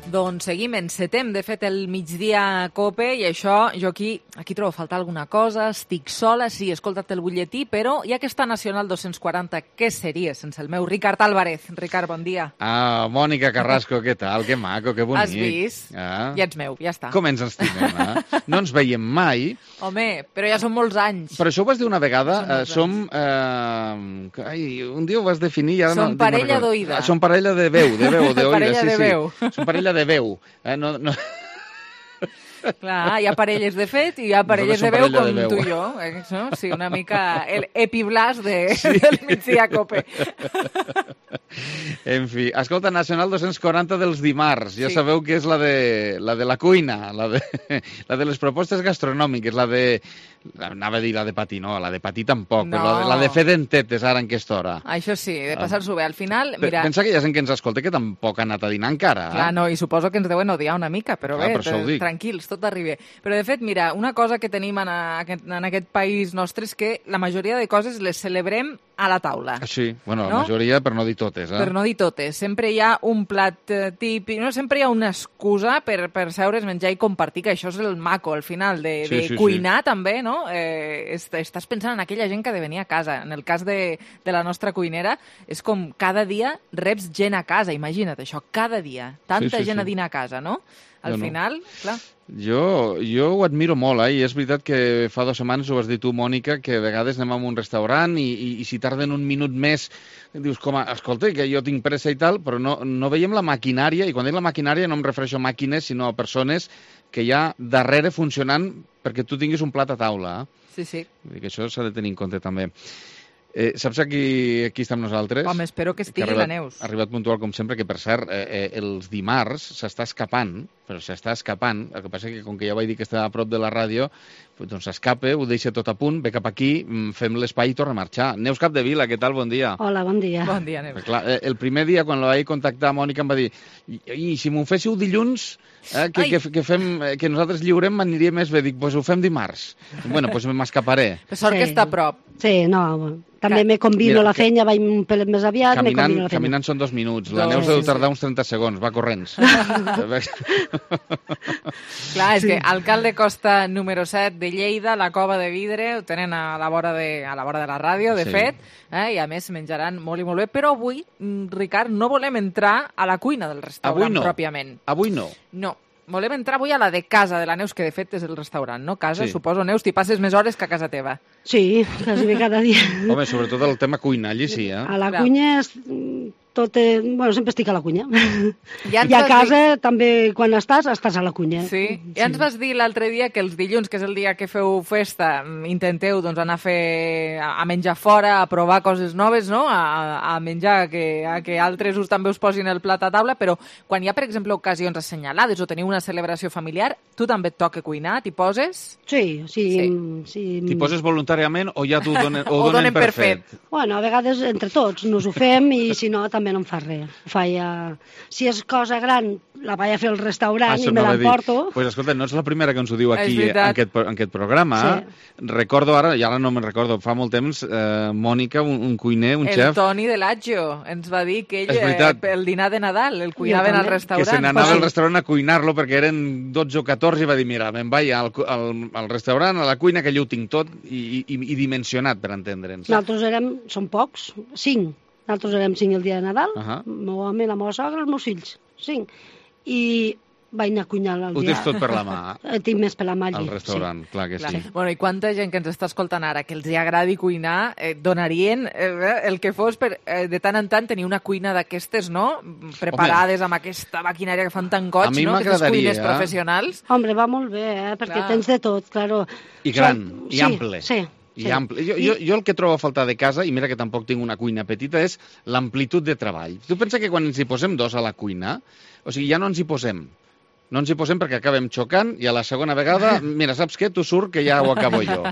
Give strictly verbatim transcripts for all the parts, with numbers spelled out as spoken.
Doncs seguim, encetem, de fet, el migdia a COPE, i això, jo aquí, aquí trobo a faltar alguna cosa, estic sola, sí, he escoltat el butlletí, però hi ha aquesta Nacional dos-cents quaranta, què seria sense el meu Ricard Álvarez? Ricard, bon dia. Ah, Mònica Carrasco, què tal? Que maco, que bonic. Has vist? Ah. Ja ets meu, ja està. Com ens estimem, eh? No ens veiem mai. Home, però ja són molts anys. Però això ho vas dir una vegada, eh, som... Eh, ai, un dia ho vas definir... Ja som no, parella d'oïda. Som parella de veu, de veu, d'oïda, parella sí, de sí. veu. Som parella de veu. Eh, no, no... Clar, hi ha parelles de fet i hi ha parelles de veu parella com de veu. tu i jo. Eh? No? Sí, una mica el epiblas de, sí. del migdia COPE. En fi, escolta, Nacional dos-cents quaranta dels dimarts. Ja Sí. sabeu que és la de la, de la cuina, la de, la de les propostes gastronòmiques, la de... Anava a dir la de patí, no, la de patí tampoc, No. però la de, la de fer dentetes ara en aquesta hora. Això sí, de passar-s'ho bé. Al final, mira... Pensa que hi ha gent que ens escolta que tampoc ha anat a dinar encara. Eh? Clar, no, i suposo que ens deuen odiar una mica, però Clar, bé, per això ho dic. tranquils, tot arriba. Però, de fet, mira, una cosa que tenim en aquest, en aquest país nostre és que la majoria de coses les celebrem a la taula. Sí, bueno, la No? majoria, per no dir totes. Eh? Per no dir totes. Sempre hi ha un plat eh, típic, no? Sempre hi ha una excusa per, per seure's, menjar i compartir, que això és el maco, al final, de, Sí, de sí, cuinar també, no? Eh, est estàs pensant en aquella gent que ha de venir a casa. En el cas de, de la nostra cuinera, és com cada dia reps gent a casa, imagina't això, cada dia. Tanta Sí, sí, gent sí. a dinar a casa, no? Al No, no. final, clar... Jo, jo ho admiro molt, eh? I és veritat que fa dues setmanes ho has dit tu, Mònica, que a vegades anem a un restaurant i, i, i si tarden un minut més dius, com a, escolta, que jo tinc pressa i tal, però no, no veiem la maquinària, i quan dic la maquinària no em refereixo a màquines, sinó a persones que hi ha darrere funcionant perquè tu tinguis un plat a taula. Eh? Sí, sí. Vull dir que això s'ha de tenir en compte també. Eh, saps aquí, aquí estem nosaltres? Home, espero que estigui ha arribat, la Neus. Ha arribat puntual, com sempre, que, per cert, eh, eh, els dimarts s'està escapant, però s'està escapant. El que passa que, com que ja vaig dir que està a prop de la ràdio, doncs s'escapa, ho deixa tot a punt, ve cap aquí, fem l'espai i torna a marxar. Neus Capdevila, què tal? Bon dia. Hola, bon dia. Bon dia, Neus. Però, clar, el primer dia, quan la vaig contactar, Mònica em va dir i, i si m'ho féssiu dilluns, eh, que, que, que, fem, que nosaltres lliurem, m'aniria més bé. Dic, doncs pues ho fem dimarts. Bueno, doncs pues m'escaparé. Per sort Sí. que està a prop. Sí, no, també Ca- me combino Mira, la que- feina, vaig un pelet més aviat, me Caminant, combino la feina. caminant són dos minuts. La Dos, Neus sí, deu sí. tardar uns trenta segons, va corrents. Clar, és que alcalde Costa número set de Lleida, la Cova de Vidre, ho tenen a la vora de, a la, vora de la ràdio, de Sí. fet, eh, i a més menjaran molt i molt bé, però avui, mm, Ricard, no volem entrar a la cuina del restaurant Avui no. pròpiament. Avui no. No, volem entrar avui a la de casa de la Neus, que de fet és el restaurant, no? Casa, Sí. suposo, Neus, t'hi passes més hores que a casa teva. Sí, quasi bé cada dia. Home, sobretot el tema cuina, allí sí, eh? A la Clar. cuina, és- tot, eh, bueno, sempre estic a la cunya. Ja ens I a vas casa, també, quan estàs, estàs a la cunya. Sí, ja ens vas dir l'altre dia que els dilluns, que és el dia que feu festa, mm, intenteu doncs, anar a fer a a menjar fora, a provar coses noves, no? A, a menjar, que, a que altres us també us posin el plat a taula, però quan hi ha, per exemple, ocasions assenyalades o teniu una celebració familiar, tu també et toca cuinar, t'hi poses? Sí, sí. Sí. sí. T'hi poses voluntàriament o ja t'ho donen, o O donen, donen per per fet? fet. Bueno, a vegades entre tots nos ho fem i si no també no em fa res. Ho fa ja... Si és cosa gran, la vaig a fer al restaurant això i me anava a dir. l'emporto. Pues escolta, no ets la primera que ens ho diu És aquí en veritat. aquest, en aquest programa. Recordo ara, i ara no me'n recordo, fa molt temps, eh, Mònica, un, un cuiner, un el xef, Toni de Laggio ens va dir que ell, És veritat. eh, el dinar de Nadal, el cuinaven al també. que restaurant. se n'anava Pues sí. al restaurant a cuinar-lo perquè eren dotze o catorze i va dir, mira, me'n vaig al, cu- al, al restaurant, a la cuina, que allò ho tinc tot i, i, i dimensionat, per entendre'ns. Nosaltres érem, som pocs, cinc. Nosaltres érem cinc el dia de Nadal, Ahà. el meu home, la meva sogra, els meus fills, cinc. I vaig anar a cuinar el Ho dia. tens tot per la mà, Eh, Tinc més per la mà allí. al restaurant, clar que Clar. sí. Bueno, i quanta gent que ens està escoltant ara que els hi agradi cuinar, eh, donarien eh, el que fos per eh, de tant en tant tenir una cuina d'aquestes, no? Preparades amb aquesta maquinària que fan tan goig, A mi no? Aquestes m'agradaria, cuines eh? professionals. Sí. Hombre, va molt bé, eh? perquè Clar. tens de tot, claro. I gran, Som- i sí, ample. Sí, I sí. ample. Jo, jo, jo el que trobo a faltar de casa, i mira que tampoc tinc una cuina petita, és l'amplitud de treball. Tu pensa que quan ens hi posem dos a la cuina, o sigui, ja no ens hi posem. No ens hi posem perquè acabem xocant i a la segona vegada, mira, saps què? Tu surt que ja ho acabo jo.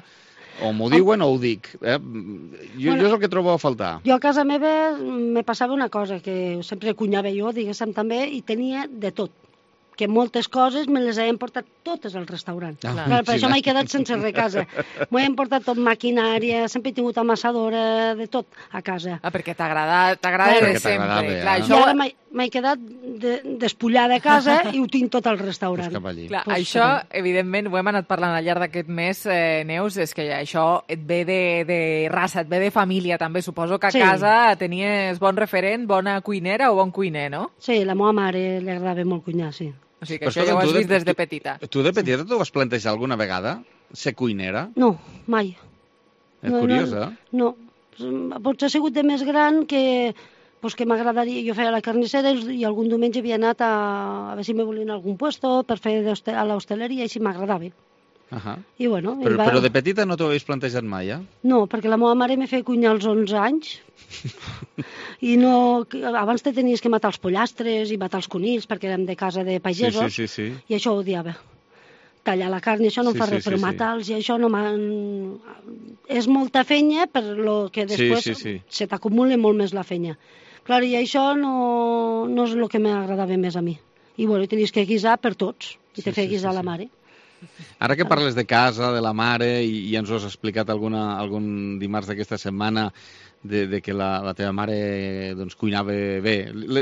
O m'ho diuen o ho dic. Eh? Jo, Bueno, jo és el que trobo a faltar. Jo a casa meva me passava una cosa, que sempre cuinava jo, diguéssim, també, i tenia de tot. Que moltes coses me les he portat totes al restaurant. Ah, Clar, per sí, això no? m'he quedat sense res a casa. M'ho he portat tot maquinària, sempre he tingut amassadora, de tot a casa. Ah, perquè t'agrada t'agrada Clar. de Perquè t'agradava, sempre. eh? Clar, I això... ara m'he- m'he quedat de, despullar de casa i ho tinc tot al restaurant. Pues cap allí. Clar, Pues això, cap evidentment, ho hem anat parlant al llarg d'aquest mes, eh, Neus, és que això et ve de, de raça, et ve de família, també. Suposo que a Sí. casa tenies bon referent, bona cuinera o bon cuiner, no? Sí, la meva mare li agradava molt cuinar, sí. O sigui que Però això escolta, ja ho has tu de- vist des de tu- petita. Tu de petita t'ho vas plantejar alguna vegada? Ser cuinera? No, mai. És No, curiós, no, eh? No, potser ha sigut de més gran que, pues que m'agradaria... Jo feia la carnissera i algun diumenge havia anat a, a veure si me volien algun puesto per fer d'hoste- a l'hostaleria i si m'agradava. Uh I bueno... i però, va... però de petita no t'ho havies plantejat mai, eh? No, perquè la meva mare me feia cuinar als onze anys i no... Abans te tenies que matar els pollastres i matar els conills perquè érem de casa de Sí, pagesos sí, sí, sí. i això ho odiava. Tallar la carn i això no Sí, em fa sí, res, sí, però sí. matar-los i això no m'ha... És molta fenya per lo que Sí, després sí, sí. se t'acumula molt més la fenya. Clar, i això no, no és el que m'agradava més a mi. I bueno, i tenies que guisar per tots, i Sí, te feia sí, guisar sí, la sí. mare. Ara que parles de casa, de la mare, i, i ens ho has explicat alguna, algun dimarts d'aquesta setmana, de, de que la, la teva mare doncs, cuinava bé. Le,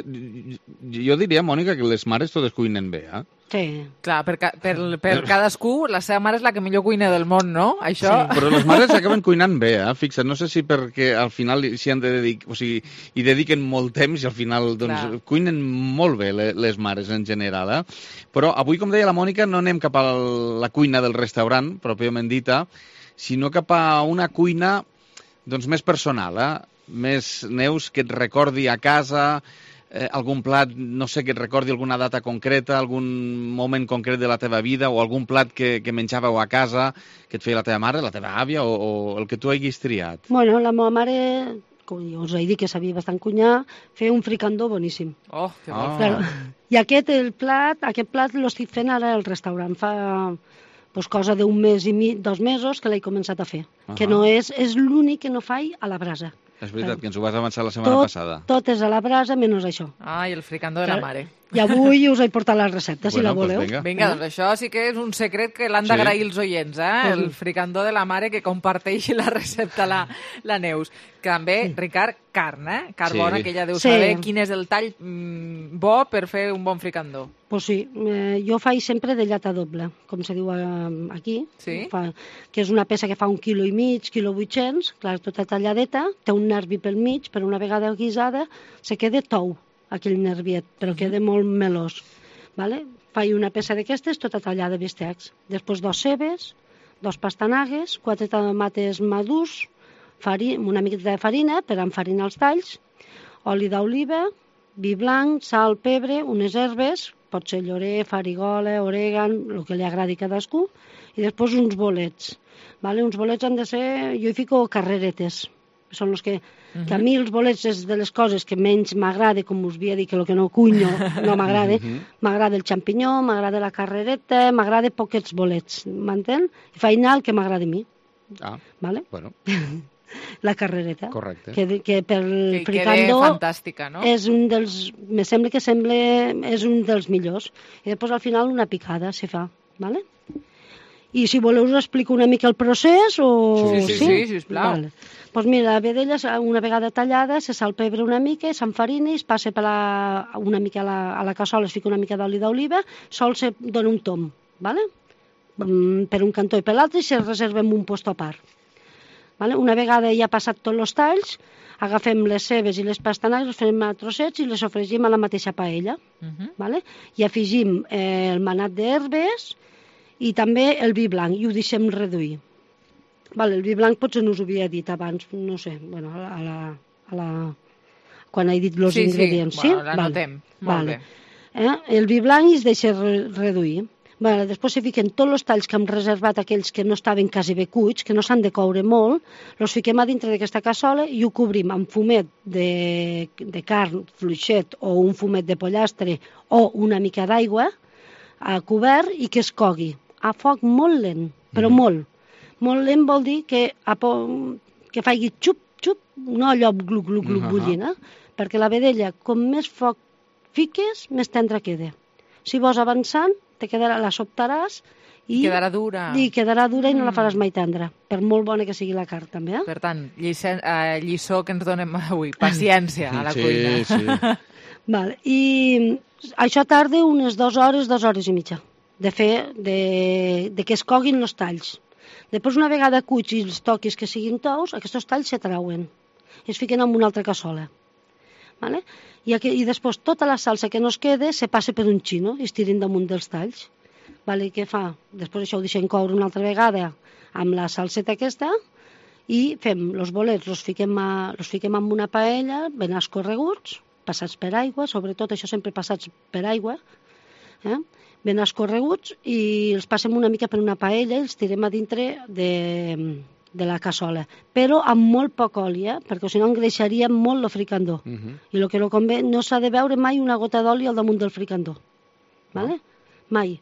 jo diria, Mònica, que les mares totes cuinen bé, eh? Sí. Clar, per, ca per, per cadascú, la seva mare és la que millor cuina del món, no? Això... Sí. Però les mares acaben cuinant bé, eh? Fixa't, no sé si perquè al final s'hi han de dedicar, o sigui, hi dediquen molt temps i al final doncs, Clar. cuinen molt bé le- les mares en general, eh? Però avui, com deia la Mònica, no anem cap a la cuina del restaurant, pròpiament dita, sinó cap a una cuina doncs, més personal, eh? Més, Neus, que et recordi a casa, eh, algun plat, no sé, que et recordi alguna data concreta, algun moment concret de la teva vida, o algun plat que, que menjàveu a casa, que et feia la teva mare, la teva àvia, o, o el que tu haguis triat. Bueno, la meva mare, com jo us he dit que sabia bastant cuinar, feia un fricandó boníssim. Oh, que Ah. bo. Claro. I aquest, el plat, aquest plat l'estic fent ara al restaurant. Fa pues, cosa d'un mes i mig, dos mesos que l'he començat a fer. Ahà. Que no és, és l'únic que no faig a la brasa. És veritat, que ens ho vas avançar la setmana Tot, passada. tot és a la brasa menys això. Ah, i el fricandó de la mare. I avui us he portat la recepta, si Bueno, la pues voleu. vinga. Vinga, doncs això sí que és un secret que l'han Sí. d'agrair els oients, eh? El Mhm. fricandó de la mare que comparteixi la recepta la, la Neus. Que també, Ricard, carn, eh? Carn Sí. bona, que ja deu Sí. saber quin és el tall mm, bo per fer un bon fricandó. Pues sí, eh, jo faig sempre de llata doble, com se diu eh, aquí, Sí. fa, que és una peça que fa un quilo i mig, quilo vuit-cents, clar, tota talladeta, té un nervi pel mig, però una vegada guisada se queda tou, aquell nerviet, però queda molt melós. Vale? Faig una peça d'aquestes tota tallada de bistecs. Després dos cebes, dos pastanagues, quatre tomates madurs, fari, una miqueta de farina per enfarinar els talls, oli d'oliva, vi blanc, sal, pebre, unes herbes, pot ser llorer, farigola, orègan, el que li agradi a cadascú, i després uns bolets. Vale? Uns bolets han de ser... Jo hi fico carreretes. Són els que... que a mi els bolets és de les coses que menys m'agrada, com us havia dit, que el que no cunyo no m'agrada. M'agrada el xampinyó, m'agrada la carrereta, m'agrada poquets bolets, m'entén? I faig anar el que m'agrada a mi, Ah, vale? bueno, La carrereta. correcte. Que, que per Que el quede fricandó fantàstica, no? és un dels... Me sembla que sembla, és un dels millors. I després al final una picada se fa, vale? I si voleu us explico una mica el procés o... Sí, sí, sí, sisplau. Vale. Pues mira, la vedella una vegada tallada se salpebre una mica, s'enfarina i es passa per la, una mica a la, a la cassola, es fica una mica d'oli d'oliva, sol se dona un tom, vale? Mm, per un cantó i per l'altre i se reserva en un posto a part. Vale? Una vegada ja ha passat tots els talls, agafem les cebes i les pastanagues, les fem a trossets i les sofregim a la mateixa paella. Mhm. Vale? I afegim eh, el manat d'herbes i també el vi blanc i ho deixem reduir. Vale, el vi blanc potser no us ho havia dit abans, no sé, bueno, a la, a la, a la... quan he dit els Sí, sí. ingredients, sí? Bueno, l'anotem. Molt bé. Eh? El vi blanc es deixa re reduir. Vale, després se fiquen tots els talls que hem reservat, aquells que no estaven quasi bé cuits, que no s'han de coure molt, els fiquem a dintre d'aquesta cassola i ho cobrim amb fumet de, de carn, fluixet o un fumet de pollastre o una mica d'aigua a cobert i que es cogui a foc molt lent, però mm. molt. Molt lent vol dir que, a po que faci xup, xup, no allò glu, glu, glu, Uh -huh. bullint, eh? Perquè la vedella, com més foc fiques, més tendra queda. Si vols avançant, te quedarà, la sobtaràs i Quedarà dura. i quedarà dura i no la Mm. faràs mai tendra, per molt bona que sigui la carn, també, eh? Per tant, lliçó, eh, lliçó que ens donem avui, paciència a la sí, cuina. Sí. Vale. I això tarda unes dues hores, dues hores i mitja, de fer, de, de que es coguin els talls. Després, una vegada cuits i els toquis que siguin tous, aquests talls se trauen i es fiquen en una altra cassola. Vale? I, aquí, I després tota la salsa que no es queda se passa per un xino i es tirin damunt dels talls. Vale? Què fa? Després això ho deixem coure una altra vegada amb la salseta aquesta i fem els bolets, els fiquem, a, els fiquem en una paella ben escorreguts, passats per aigua, sobretot això sempre passats per aigua, eh? ben escorreguts, i els passem una mica per una paella i els tirem a dintre de, de la cassola, però amb molt poc oli, eh? Perquè si no engreixaria molt el fricandó. Uh -huh. I el que no convé, no s'ha de veure mai una gota d'oli al damunt del fricandó. Vale? Mai.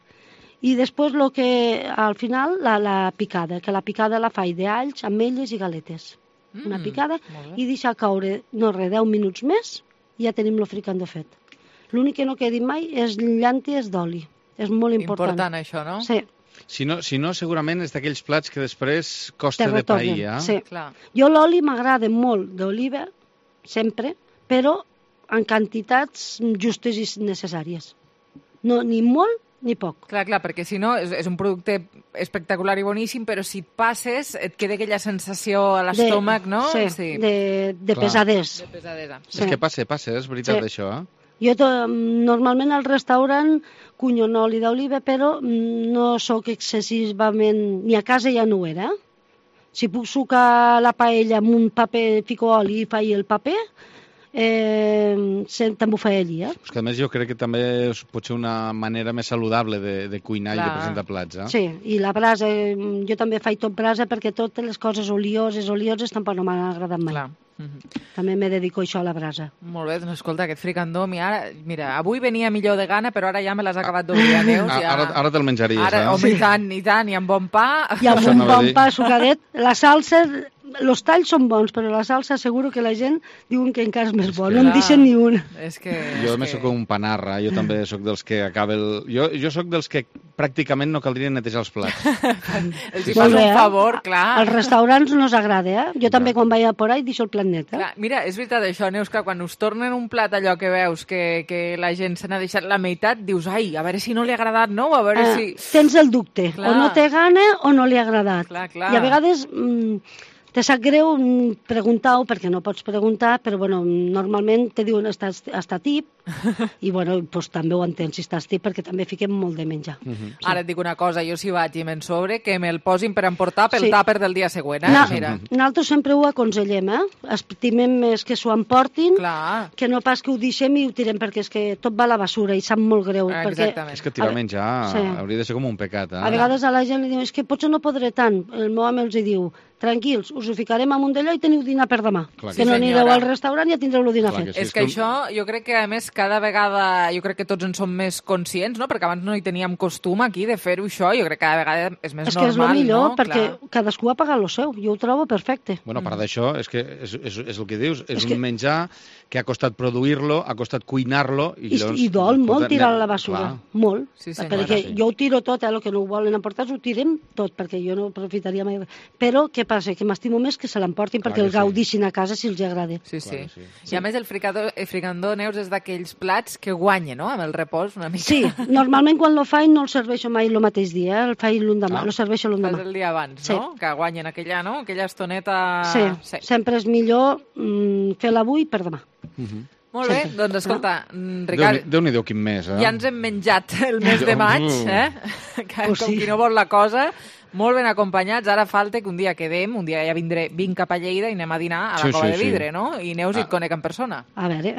I després, lo que, al final, la, la picada, que la picada la faig d'alls, ametlles i galetes. Mm, una picada, i deixar caure, no res, deu minuts més, i ja tenim el fricandó fet. L'únic que no quedi mai és llànties d'oli. És molt important. Important, això, no? Sí. Si no, si no segurament és d'aquells plats que després costa de pair, eh? Sí. Clar. Jo l'oli m'agrada molt d'oliva, sempre, però en quantitats justes i necessàries. No, ni molt ni poc. Clar, clar, perquè si no és, és un producte espectacular i boníssim, però si et passes et queda aquella sensació a l'estómac, no? Sí, sí. de, de pesadesa. De pesadesa. Sí. És que passa, passa, és veritat, sí. Això, eh? Jo to, normalment al restaurant cunyo en oli d'oliva, però no sóc excessivament... Ni a casa ja no ho era. Si puc sucar la paella amb un paper, fico oli i faig el paper, eh, també ho faig allí, eh? Pues que a més jo crec que també pot ser una manera més saludable de, de cuinar Clar. I de presentar plats, eh? Sí, i la brasa, jo també faig tot brasa perquè totes les coses olioses, olioses tampoc no m'han agradat mai. Clar. Mm-hmm. També me dedico això a la brasa. Molt bé, doncs escolta, aquest fricandó, mira, mira, avui venia millor de gana, però ara ja me l'has acabat d'oblidar, Neus. Ja... Ara, ara te'l menjaries, ara, eh? Home, i tant, i tant, i amb bon pa. I amb un bon pa sucadet. La salsa, els talls són bons, però la salsa seguro que la gent diuen que encara és més és bo, no en deixen ni un. És que... Jo també que... sóc un panarra, jo també sóc dels que acaba el... Jo, jo sóc dels que pràcticament no caldria netejar els plats. Els hi fas un favor, clar. Als restaurants no us agrada, eh? Jo també quan vaig a por ahí deixo el plat net, eh? Clar, mira, és veritat això, Neus, que quan us tornen un plat allò que veus que, que la gent se n'ha deixat la meitat, dius, ai, a veure si no li ha agradat, no? A veure eh, si... Tens el dubte, clar. O no té gana o no li ha agradat. Clar, clar. I a vegades... Mm, te sap greu preguntar-ho, perquè no pots preguntar, però bueno, normalment te diuen estàs, està tip, i bueno, doncs també ho entens si estàs tip, perquè també fiquem molt de menjar. Uh -huh. Sí. Ara et dic una cosa, jo si vaig i me'n sobre, que me'l posin per emportar pel sí. tàper del dia següent, eh? Na, Mira. Nosaltres sempre ho aconsellem, eh? Estimem més que s'ho emportin, Clar. que no pas que ho deixem i ho tirem, perquè és que tot va a la basura i sap molt greu. Ah, perquè... És que tirar menjar sí. hauria de ser com un pecat, eh? A vegades a la gent li diuen, és que potser no podré tant. El meu home els diu, tranquils, us ho ficarem amunt d'allò i teniu dinar per demà. Clar que, que no sí, anireu al restaurant i ja tindreu el dinar Clar fet. Que sí, és que, que això, jo crec que a més cada vegada, jo crec que tots en som més conscients, no? Perquè abans no hi teníem costum aquí de fer-ho això, jo crec que cada vegada és més és normal, És que és el millor, no? perquè Clar. cadascú ha pagat el seu, jo ho trobo perfecte. Bueno, a part d'això, és que és, és, és el que dius, és, és un que... menjar que ha costat produir-lo, ha costat cuinar-lo... I, I, llavors, i dol molt tirar a la basura, Clar. molt. Sí, senyora, perquè sí. jo ho tiro tot, eh, el que no ho volen emportar ho tirem tot, perquè jo no aprofitaria mai. Però què passa? Que m'estimo més que se l'emportin perquè el gaudissin sí. a casa si els agrada. Sí, sí. sí. I a més el fricandó, el fricandó, Neus, és d'aquells plats que guanya, no?, amb el repòs una mica. Sí, normalment quan lo faig no el serveixo mai el mateix dia, el faig l'endemà, ah. lo serveixo l'endemà. Fas el dia abans, sí. no?, que guanyen aquella, no?, aquella estoneta... Sí, sí. Sempre és millor mm, fer-la avui per demà. Uh -huh. Molt bé, Sempre. doncs escolta, no? Ricard... Déu-n'hi-do quin mes, eh? Ja ens hem menjat el mes de maig, eh? Que, oh, sí. Com qui no vol la cosa... Molt ben acompanyats, ara falta que un dia quedem, un dia ja vindré, vinc cap a Lleida i anem a dinar a la sí, Cova sí, de Vidre, sí. no? I Neus ah. et conec en persona. A veure,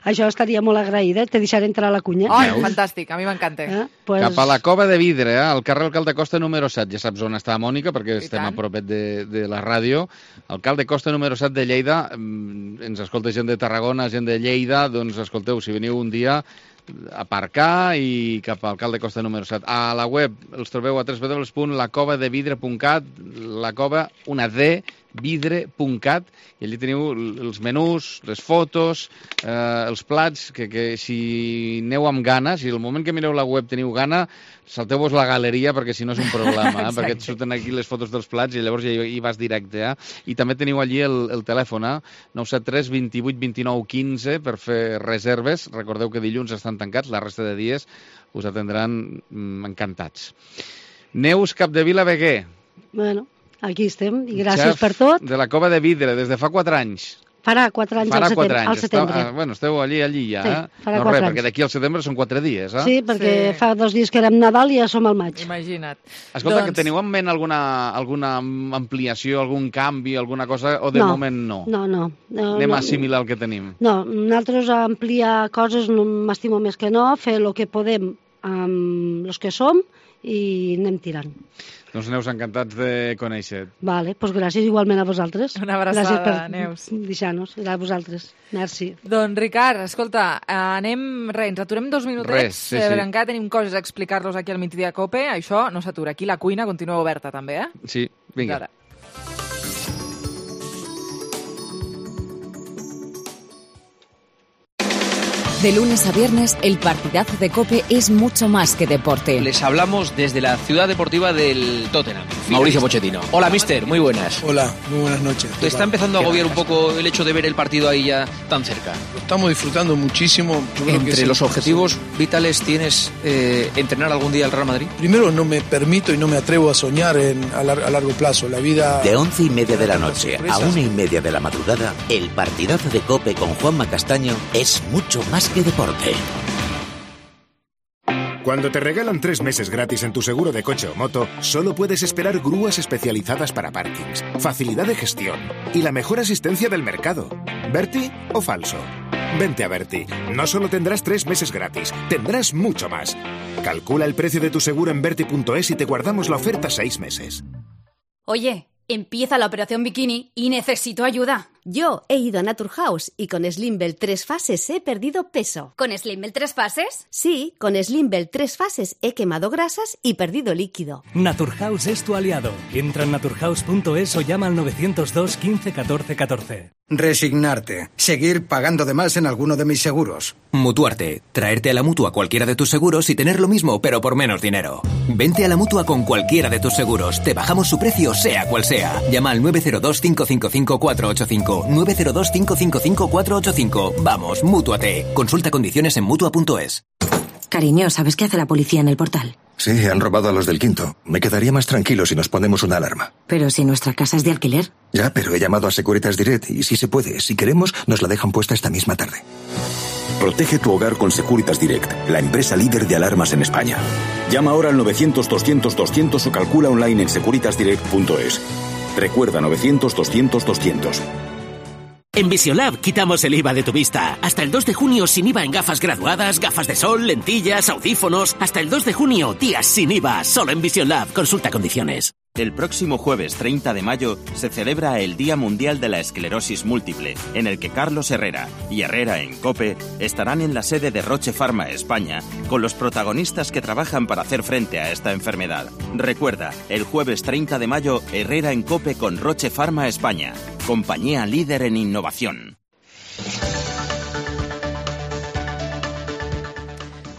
això estaria molt agraïda, te deixaré entrar a la cunya. Ai, oh, fantàstic, a mi m'encanta. Eh? Pues... Cap a la Cova de Vidre, eh? Al carrer Alcalde Costa número set, ja saps on està Mònica, perquè I estem tant. a propet de, de la ràdio. Alcalde Costa número set de Lleida, ens escolta gent de Tarragona, gent de Lleida, doncs escolteu, si veniu un dia... aparcar i cap al Alcalde Costa número set. A la web els trobeu a w w w punt la cova de vidre punt cat, la cova, una D, vidre punt cat, i allí teniu els menús, les fotos, eh, els plats, que, que si aneu amb gana, si el moment que mireu la web teniu gana, salteu-vos la galeria, perquè si no és un problema, eh? Perquè et surten aquí les fotos dels plats i llavors ja hi vas directe. Eh? I també teniu allí el, el telèfon, eh? nou set tres, vint-i-vuit, vint-i-nou, quinze, per fer reserves. Recordeu que dilluns estan tancats, la resta de dies us atendran mm, encantats. Neus Capdevila Beguer. Bueno, aquí estem, i gràcies Xef per tot. de la Cova de Vidre, des de fa quatre anys. Farà quatre anys Farà al setembre. quatre anys. Al setembre. Està, bueno, esteu allí, allí ja. Sí, eh? farà no quatre res, anys. perquè d'aquí al setembre són quatre dies, eh? Sí, perquè Sí. fa dos dies que érem Nadal i ja som al maig. Imagina't. Escolta, Doncs- que teniu en ment alguna, alguna ampliació, algun canvi, alguna cosa, o de No, moment no? No, no. no Anem no, a assimilar el que tenim. No, nosaltres a ampliar coses no m'estimo més que no, fer el que podem amb els que som i anem tirant. Doncs Neus, encantats de conèixer. Vale, doncs gràcies igualment a vosaltres. Una abraçada, gràcies per Neus. deixar-nos, a vosaltres. Merci. Doncs, Ricard, escolta, anem... Res, ens aturem dos minutets, Res, sí, eh, sí. perquè encara tenim coses a explicar-los aquí al Migdia Cope. Això no s'atura. Aquí la cuina continua oberta, també, eh? Sí, vinga. Ara. De lunes a viernes, el partidazo de COPE es mucho más que deporte. Les hablamos desde la ciudad deportiva del Tottenham. Mauricio Pochettino. Hola, mister, muy buenas. Hola, muy buenas noches. ¿Te está empezando a agobiar un poco el hecho de ver el partido ahí ya tan cerca? Lo estamos disfrutando muchísimo. Yo creo que Entre es los el- objetivos vitales tienes eh, entrenar algún día al Real Madrid. Primero, no me permito y no me atrevo a soñar en, a, lar- a largo plazo. La vida... De once y media de la noche a Sorpresas. una y media de la madrugada, el partidazo de COPE con Juanma Castaño es mucho más que deporte. Cuando te regalan tres meses gratis en tu seguro de coche o moto, solo puedes esperar grúas especializadas para parkings, facilidad de gestión y la mejor asistencia del mercado. ¿Berti o falso? Vente a Berti. No solo tendrás tres meses gratis, tendrás mucho más. Calcula el precio de tu seguro en berti punto es y te guardamos la oferta seis meses. Oye, empieza la operación bikini y necesito ayuda. Yo he ido a Naturhaus y con Slimbel tres fases he perdido peso. ¿Con Slimbel tres fases? Sí, con Slimbel tres fases he quemado grasas y perdido líquido. Naturhaus es tu aliado. Entra en naturhaus punto es o llama al novecientos dos, quince, catorce, catorce. Resignarte. Seguir pagando de más en alguno de mis seguros. Mutuarte. Traerte a la Mutua cualquiera de tus seguros y tener lo mismo, pero por menos dinero. Vente a la Mutua con cualquiera de tus seguros. Te bajamos su precio, sea cual sea. Llama al nueve cero dos, cinco cinco cinco, cuatro ocho cinco. nueve cero dos, cinco cinco cinco, cuatro ocho cinco. Vamos, Mútuate. Consulta condiciones en mutua punto es. Cariño, ¿sabes qué hace la policía en el portal? Sí, han robado a los del quinto. Me quedaría más tranquilo si nos ponemos una alarma. Pero si nuestra casa es de alquiler. Ya, pero he llamado a Securitas Direct y si se puede, si queremos, nos la dejan puesta esta misma tarde. Protege tu hogar con Securitas Direct, la empresa líder de alarmas en España. Llama ahora al novecientos, doscientos, doscientos o calcula online en securitas direct punto es. Recuerda novecientos, doscientos, doscientos. En Visiolab quitamos el I V A de tu vista. Hasta el dos de junio sin I V A en gafas graduadas, gafas de sol, lentillas, audífonos. Hasta el dos de junio, días sin I V A. Solo en Visiolab. Consulta condiciones. El próximo jueves treinta de mayo se celebra el Día Mundial de la Esclerosis Múltiple, en el que Carlos Herrera y Herrera en COPE estarán en la sede de Roche Pharma España con los protagonistas que trabajan para hacer frente a esta enfermedad. Recuerda, el jueves treinta de mayo, Herrera en COPE con Roche Pharma España, compañía líder en innovación.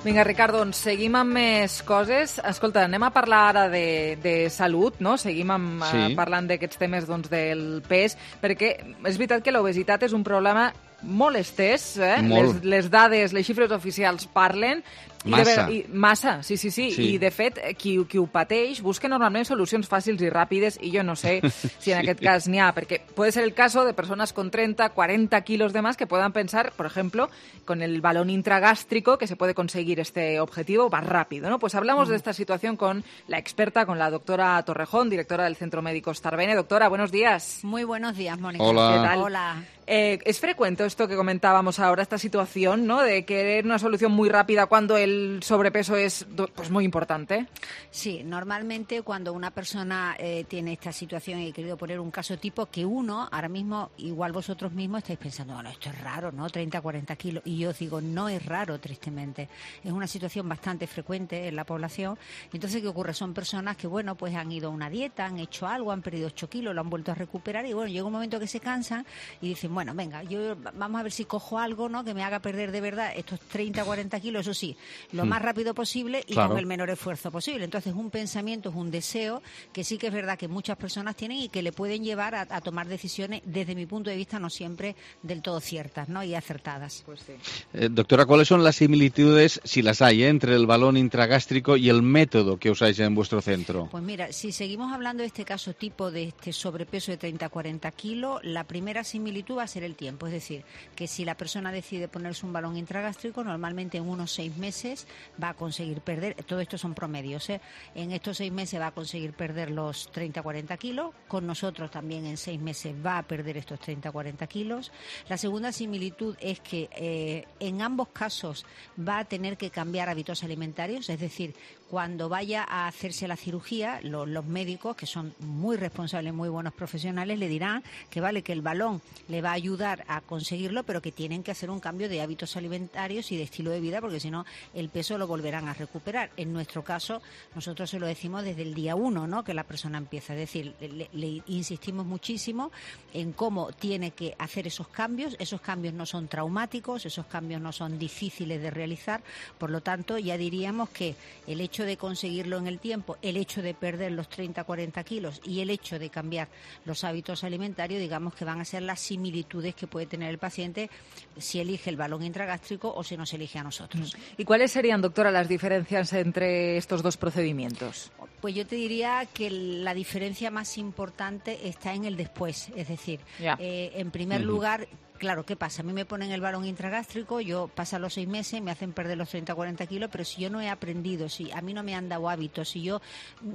Vinga, Ricard, doncs seguim amb més coses. Escolta, anem a parlar ara de, de salut, no? Seguim amb, sí. uh, parlant d'aquests temes doncs, del pes, perquè és veritat que l'obesitat és un problema molt estès, eh? Molt. Les, les dades, les xifres oficials parlen. I Massa. De, i, massa, sí, sí, sí, sí. I de fet, qui, qui ho pateix busca normalment solucions fàcils i ràpides i jo no sé si en sí. aquest cas n'hi ha, perquè puede ser el caso de personas con treinta, cuarenta kilos de más que puedan pensar, por ejemplo, con el balón intragástrico que se puede conseguir este objetivo más rápido, ¿no? Pues hablamos mm. de esta situación con la experta, con la doctora Torrejón, directora del Centro Médico Starbene. Doctora, buenos días. Muy buenos días, Mónica. Hola. ¿Qué tal? Hola. Eh, es frecuente esto que comentábamos ahora, esta situación, ¿no? De querer una solución muy rápida cuando el sobrepeso es pues muy importante. Sí, normalmente cuando una persona eh, tiene esta situación, y he querido poner un caso tipo, que uno, ahora mismo, igual vosotros mismos estáis pensando, bueno, esto es raro, ¿no? treinta, cuarenta kilos. Y yo os digo, no es raro, tristemente. Es una situación bastante frecuente en la población. Entonces, ¿qué ocurre? Son personas que, bueno, pues han ido a una dieta, han hecho algo, han perdido ocho kilos, lo han vuelto a recuperar y, bueno, llega un momento que se cansan y dicen, bueno, venga, yo vamos a ver si cojo algo, ¿no?, que me haga perder de verdad estos treinta, cuarenta kilos, eso sí, lo mm. más rápido posible y claro. con el menor esfuerzo posible. Entonces, un pensamiento, es un deseo que sí que es verdad que muchas personas tienen y que le pueden llevar a, a tomar decisiones, desde mi punto de vista, no siempre del todo ciertas, ¿no?, y acertadas. Pues sí. eh, doctora, ¿cuáles son las similitudes, si las hay, eh, entre el balón intragástrico y el método que usáis en vuestro centro? Pues mira, si seguimos hablando de este caso tipo de este sobrepeso de treinta a cuarenta kilos, la primera similitud va a ser el tiempo. Es decir, que si la persona decide ponerse un balón intragástrico, normalmente en unos seis meses va a conseguir perder, todo esto son promedios, ¿eh? En estos seis meses va a conseguir perder los treinta a cuarenta kilos. Con nosotros también en seis meses va a perder estos treinta a cuarenta kilos. La segunda similitud es que eh, en ambos casos va a tener que cambiar hábitos alimentarios, es decir, cuando vaya a hacerse la cirugía, lo, los médicos, que son muy responsables, muy buenos profesionales, le dirán que vale, que el balón le va a ayudar a conseguirlo, pero que tienen que hacer un cambio de hábitos alimentarios y de estilo de vida, porque si no, el peso lo volverán a recuperar. En nuestro caso, nosotros se lo decimos desde el día uno, ¿no?, que la persona empieza. Es decir, le, le insistimos muchísimo en cómo tiene que hacer esos cambios. Esos cambios no son traumáticos, esos cambios no son difíciles de realizar. Por lo tanto, ya diríamos que el hecho de conseguirlo en el tiempo, el hecho de perder los treinta a cuarenta kilos y el hecho de cambiar los hábitos alimentarios, digamos que van a ser las similitudes que puede tener el paciente si elige el balón intragástrico o si nos elige a nosotros. ¿Y cuáles serían, doctora, las diferencias entre estos dos procedimientos? Pues yo te diría que la diferencia más importante está en el después, es decir, eh, en primer uh-huh. lugar, claro, ¿qué pasa? A mí me ponen el balón intragástrico, yo pasan los seis meses, me hacen perder los treinta a cuarenta kilos, pero si yo no he aprendido, si a mí no me han dado hábitos, si yo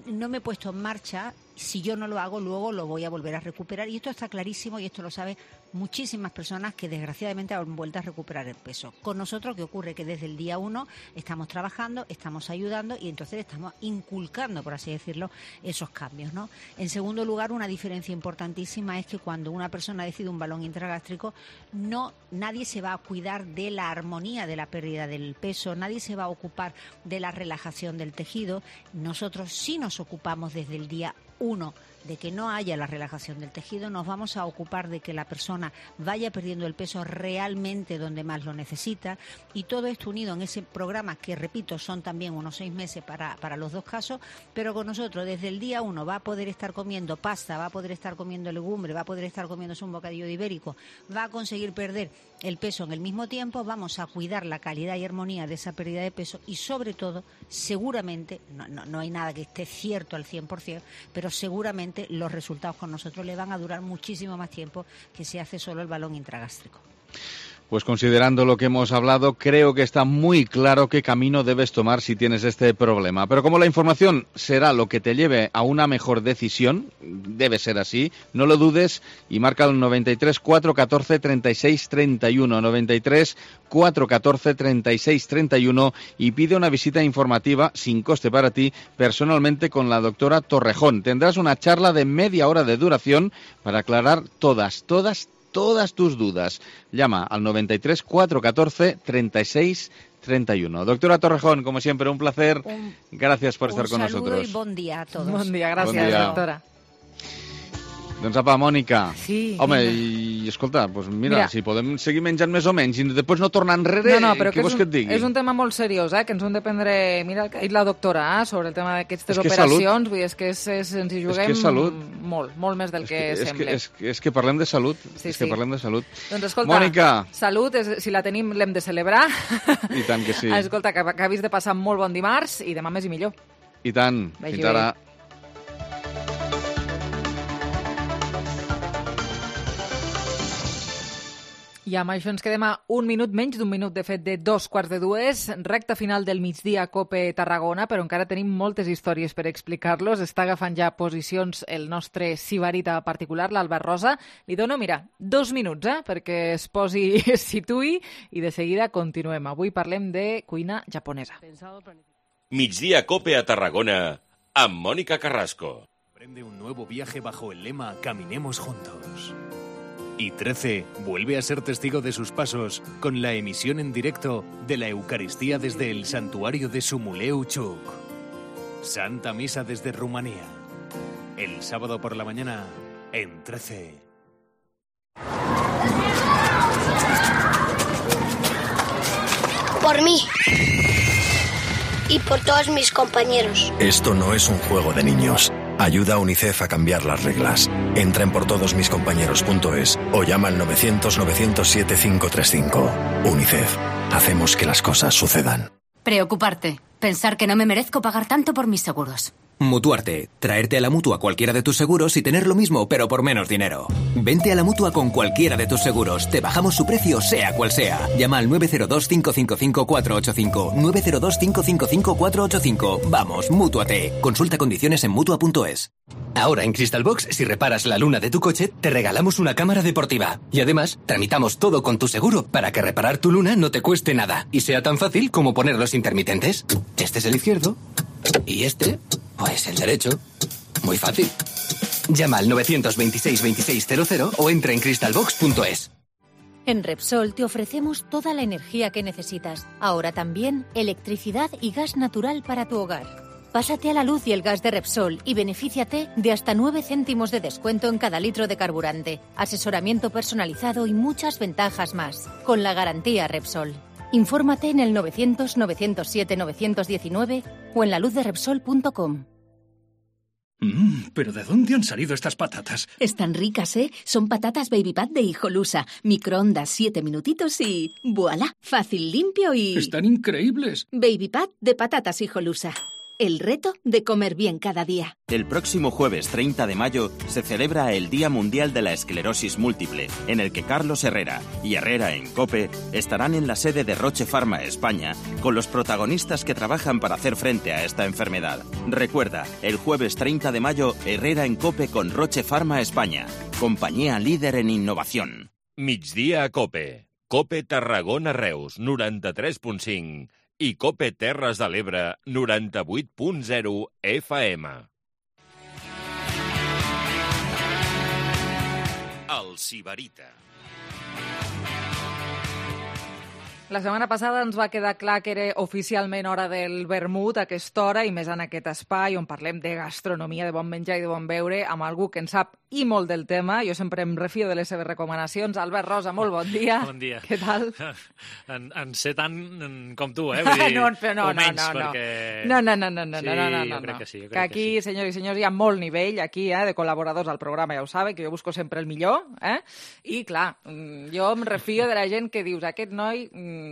no me he puesto en marcha, si yo no lo hago, luego lo voy a volver a recuperar. Y esto está clarísimo y esto lo saben muchísimas personas que desgraciadamente han vuelto a recuperar el peso. Con nosotros, ¿qué ocurre? Que desde el día uno estamos trabajando, estamos ayudando y entonces estamos inculcando, por así decirlo, esos cambios, ¿no? En segundo lugar, una diferencia importantísima es que cuando una persona decide un balón intragástrico, no, nadie se va a cuidar de la armonía de la pérdida del peso, nadie se va a ocupar de la relajación del tejido. Nosotros sí nos ocupamos desde el día uno de que no haya la relajación del tejido, nos vamos a ocupar de que la persona vaya perdiendo el peso realmente donde más lo necesita, y todo esto unido en ese programa que, repito, son también unos seis meses para, para los dos casos, pero con nosotros desde el día uno va a poder estar comiendo pasta, va a poder estar comiendo legumbre, va a poder estar comiéndose un bocadillo de ibérico, va a conseguir perder el peso en el mismo tiempo, vamos a cuidar la calidad y armonía de esa pérdida de peso y sobre todo, seguramente, no, no, no hay nada que esté cierto al cien por ciento, pero seguramente los resultados con nosotros le van a durar muchísimo más tiempo que si hace solo el balón intragástrico. Pues considerando lo que hemos hablado, creo que está muy claro qué camino debes tomar si tienes este problema. Pero como la información será lo que te lleve a una mejor decisión, debe ser así, no lo dudes y marca el noventa y tres, cuatrocientos catorce, treinta y seis treinta y uno, noventa y tres, cuatrocientos catorce, treinta y seis treinta y uno y pide una visita informativa sin coste para ti personalmente con la doctora Torrejón. Tendrás una charla de media hora de duración para aclarar todas, todas, todas tus dudas. Llama al noventa y tres, cuatrocientos catorce, treinta y seis treinta y uno. Doctora Torrejón, como siempre, un placer. Un, Gracias por estar con nosotros. Un saludo y bon dia a todos. Bon dia, gràcies, bon dia. Doctora. Doncs apa, Mònica. Sí. Home, i escolta, doncs mira, mira, si podem seguir menjant més o menys i després no tornar enrere, no, no, però què que vols un, que et digui? És un tema molt seriós, eh, que ens hem de prendre... Mira el que ha dit la doctora eh, sobre el tema d'aquestes és operacions, vull dir, és que és, és, ens hi juguem és que molt, molt més del és que, que sembla. És que, és, és que parlem de salut, sí, és que sí. parlem de salut. Doncs escolta, Mònica. Salut, és, si la tenim l'hem de celebrar. I tant que sí. Escolta, que acabis de passar molt bon dimarts i demà més i millor. I tant, Vagi fins ara. Bé. I I amb això ens quedem a un minut, menys d'un minut, de fet, de dos quarts de dues, recta final del migdia Cope Tarragona, però encara tenim moltes històries per explicar-los. Està agafant ja posicions el nostre sibarita particular, l'Albert Rosa. Li dono, mira, dos minuts, eh, perquè es posi, es situï, i de seguida continuem. Avui parlem de cuina japonesa. Migdia Cope a Tarragona, amb Mónica Carrasco. Emprende un nuevo viaje bajo el lema Caminemos Juntos. Y trece vuelve a ser testigo de sus pasos con la emisión en directo de la Eucaristía desde el santuario de Sumuleu Chuk. Santa Misa desde Rumanía. El sábado por la mañana en trece. Por mí. Y por todos mis compañeros. Esto no es un juego de niños. Ayuda a UNICEF a cambiar las reglas. Entra en por todos mis compañeros punto es o llama al novecientos, novecientos siete, cinco tres cinco. UNICEF. Hacemos que las cosas sucedan. Preocuparte. Pensar que no me merezco pagar tanto por mis seguros. Mutuarte. Traerte a la Mutua cualquiera de tus seguros y tener lo mismo, pero por menos dinero. Vente a la Mutua con cualquiera de tus seguros. Te bajamos su precio, sea cual sea. Llama al nueve cero dos, cinco cinco cinco, cuatro ocho cinco. nueve cero dos, cinco cinco cinco, cuatro ocho cinco. Vamos, Mútuate. Consulta condiciones en Mutua punto es. Ahora en Crystal Box, si reparas la luna de tu coche, te regalamos una cámara deportiva. Y además, tramitamos todo con tu seguro para que reparar tu luna no te cueste nada. Y sea tan fácil como poner los intermitentes. Este es el izquierdo. Y este, pues el derecho. Muy fácil. Llama al novecientos veintiséis, veintiséis cero cero o entra en crystal box punto es. En Repsol te ofrecemos toda la energía que necesitas. Ahora también electricidad y gas natural para tu hogar. Pásate a la luz y el gas de Repsol y benefíciate de hasta nueve céntimos de descuento en cada litro de carburante, asesoramiento personalizado y muchas ventajas más. Con la garantía Repsol. Infórmate en el novecientos, novecientos siete, novecientos diecinueve o en la luz de repsol punto com. Mmm, ¿pero de dónde han salido estas patatas? Están ricas, ¿eh? Son patatas Baby Pat de Hijolusa. Microondas siete minutitos y... ¡Voilá! Fácil, limpio y... ¡Están increíbles! Baby Pat de patatas Hijolusa. El reto de comer bien cada día. El próximo jueves treinta de mayo se celebra el Día Mundial de la Esclerosis Múltiple, en el que Carlos Herrera y Herrera en COPE estarán en la sede de Roche Pharma España con los protagonistas que trabajan para hacer frente a esta enfermedad. Recuerda, el jueves treinta de mayo, Herrera en COPE con Roche Pharma España, compañía líder en innovación. Migdia a COPE. COPE Tarragona Reus, noranta-tres punt cinc. I COPE Terres de l'Ebre, noranta-vuit punt zero F M. El Sibarita. La setmana passada ens va quedar clar que era oficialment hora del vermut a aquesta hora i més en aquest espai on parlem de gastronomia, de bon menjar i de bon beure amb algú que en sap i molt del tema. Jo sempre em refio de les seves recomanacions. Albert Rosa, molt bon dia. Bon dia. Què tal? En, en sé tant com tu, eh? Vull dir, no, però no, o menys, no, no, perquè... no, no, no, no, no, sí, no, no, no, jo no. crec que sí. Jo crec que aquí, que sí. senyors i senyors, hi ha molt nivell aquí, eh, de col·laboradors al programa, ja ho sabe, que jo busco sempre el millor, eh? I, clar, jo em refio de la gent que dius, aquest noi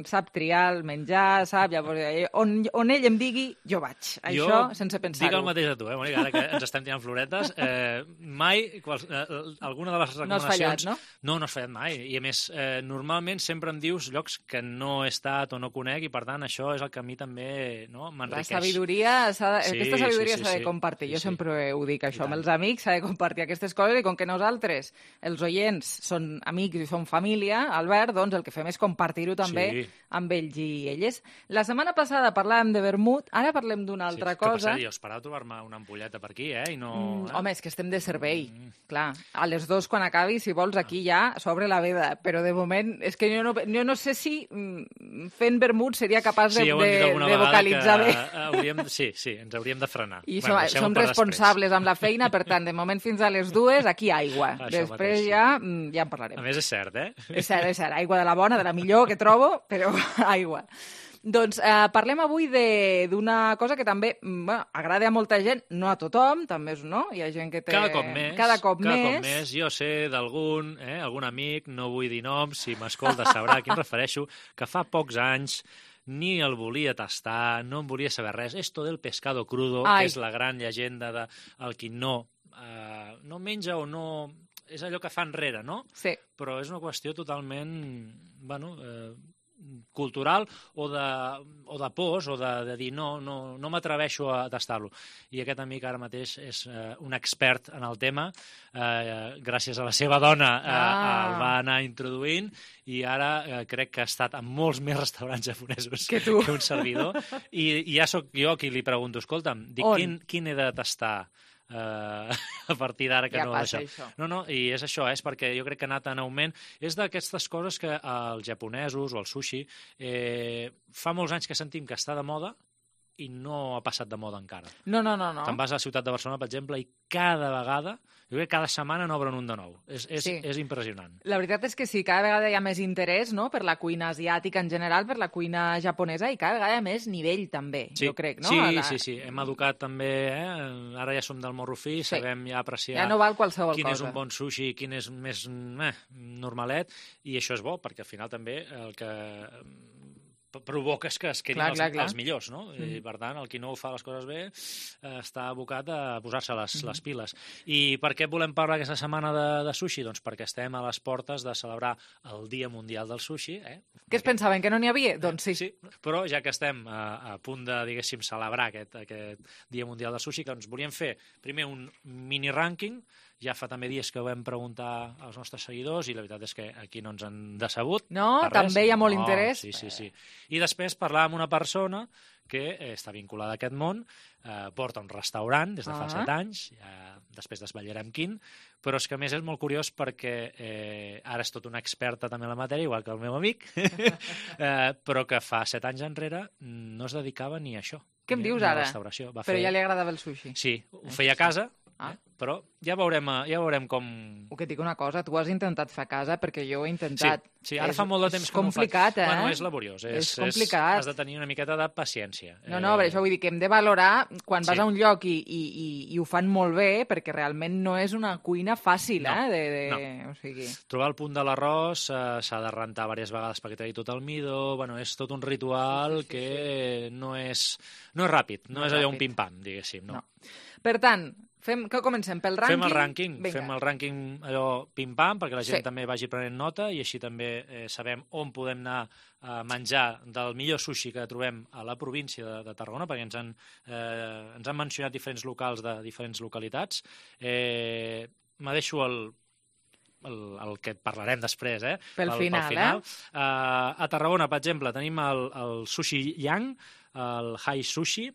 sap triar el menjar, sap? Llavors, on, on ell em digui, jo vaig. Jo Això, sense pensar-ho. Dic el mateix a tu, eh, Mònica, ara que ens estem tirant floretes. Eh, mai, quals, eh, alguna de les recomanacions... No has fallat, no? No, no has fallat mai. I, a més, eh, normalment sempre em dius llocs que no he estat o no conec i, per tant, això és el que a mi també no, m'enriqueix. La sabidoria, s'ha de, sí, aquesta sabidoria sí, sí, s'ha de sí. compartir. Jo sí, sí. sempre ho dic, això. Amb els amics s'ha de compartir aquestes coses i com que nosaltres, els oients, són amics i són família, Albert, doncs el que fem és compartir-ho també Sí. amb ells i elles. La setmana passada parlàvem de vermut, ara parlem d'una altra sí, que, cosa. Per cert, jo esperava trobar-me una ampolleta per aquí, eh? I no... Mm, eh? home, és que estem de servei, mm. clar. A les dos, quan acabi, si vols, aquí ja s'obre la veda, però de moment és que jo no, jo no sé si mm, fent vermut seria capaç de, sí, de, de vocalitzar bé. Hauríem, sí, sí, ens hauríem de frenar. I bueno, som, som responsables després. Amb la feina, per tant, de moment fins a les dues, aquí aigua. Això després mateix, ja, sí. ja en parlarem. A més, és cert, eh? És cert, és cert. Aigua de la bona, de la millor que trobo, però aigua. Doncs eh, parlem avui d'una cosa que també bueno, agrada a molta gent, no a tothom, també és, no? Hi ha gent que té... Cada cop més. Cada cop cada més. Cop més. Jo sé d'algun, eh, algun amic, no vull dir noms, si m'escolta sabrà a qui em refereixo, que fa pocs anys ni el volia tastar, no en volia saber res. Esto del pescado crudo, Ai. que és la gran llegenda de el qui no, eh, no menja o no... és allò que fa enrere, no? Sí. Però és una qüestió totalment, bueno, eh, cultural o de, o de pors o de, de dir no, no, no m'atreveixo a tastar-lo. I aquest amic ara mateix és eh, un expert en el tema, eh, gràcies a la seva dona eh, ah. el va anar introduint i ara eh, crec que ha estat en molts més restaurants japonesos que, tu. que un servidor. I, i ja sóc jo qui li pregunto, escolta'm, dic, quin, quin he de tastar? Uh, a partir d'ara que ja no passa això. això. No, no, i és això, és perquè jo crec que ha anat en augment. És d'aquestes coses que els japonesos o el sushi eh, fa molts anys que sentim que està de moda i no ha passat de moda encara. No, no, no. no. Te'n vas a la ciutat de Barcelona, per exemple, i cada vegada, jo crec que cada setmana n'obren un de nou. És, és, sí. és impressionant. La veritat és que sí, cada vegada hi ha més interès, no?, per la cuina asiàtica en general, per la cuina japonesa, i cada vegada hi ha més nivell, també, sí. jo crec, no? Sí, la... sí, sí. Hem educat també, eh? Ara ja som del morro fi, sí. sabem ja apreciar ja no val qualsevol quin cosa. és un bon sushi, quin és més eh, normalet, i això és bo, perquè al final també el que provoca és que es quedin clar, els, clar, clar. els millors, no? Mm. I, per tant, el qui no ho fa les coses bé eh, està abocat a posar-se les, mm. les piles. I per què volem parlar aquesta setmana de, de sushi? Doncs perquè estem a les portes de celebrar el Dia Mundial del Sushi. Eh? Què es pensaven, que no n'hi havia? Doncs sí. sí. Però ja que estem a, a punt de, diguéssim, celebrar aquest, aquest Dia Mundial del Sushi, que ens volíem fer primer un mini-rànquing. Ja fa també dies que ho vam preguntar als nostres seguidors i la veritat és que aquí no ens han decebut. No? També hi ha molt no, interès? Sí, sí, sí. I després parlar amb una persona que eh, està vinculada a aquest món, eh, porta un restaurant des de fa ah. set anys, ja després desvetllarem quin, però és que a més és molt curiós perquè eh, ara és tot una experta també en la matèria, igual que el meu amic, eh, però que fa set anys enrere no es dedicava ni a això. Què em ni, dius ni ara? Va però fer... ja li agradava el sushi. Sí, ho feia a casa, ah. eh? Però ja veurem, ja veurem com... O que et dic una cosa, tu has intentat fer a casa perquè jo ho he intentat. Sí, sí ara és, fa molt de temps que complicat, no ho faig. Eh? Bueno, és laboriós. És, és complicat. És, has de tenir una miqueta de paciència. No, no, per això vull dir que hem de valorar quan sí. vas a un lloc i, i, i, i ho fan molt bé, perquè realment no és una cuina fàcil, no, eh? De, de... No. O sigui... Trobar el punt de l'arròs eh, s'ha de rentar diverses vegades perquè tregui tot el midó, bueno, és tot un ritual sí, sí, sí, que sí. no és no és ràpid, no, no és allò un pim-pam, diguéssim. No. no. Per tant, fem, que comencem pel rànquing? Fem el rànquing, Vinga. fem el rànquing allò pim-pam, perquè la gent sí. també vagi prenent nota i així també eh, sabem on podem anar a menjar del millor sushi que trobem a la província de, de Tarragona, perquè ens han, eh, ens han mencionat diferents locals de diferents localitats. Eh, me deixo el, el, el que parlarem després, eh? Pel, pel final, pel final. Eh? Uh, a Tarragona, per exemple, tenim el, el Sushi Yang, el Hai Sushi,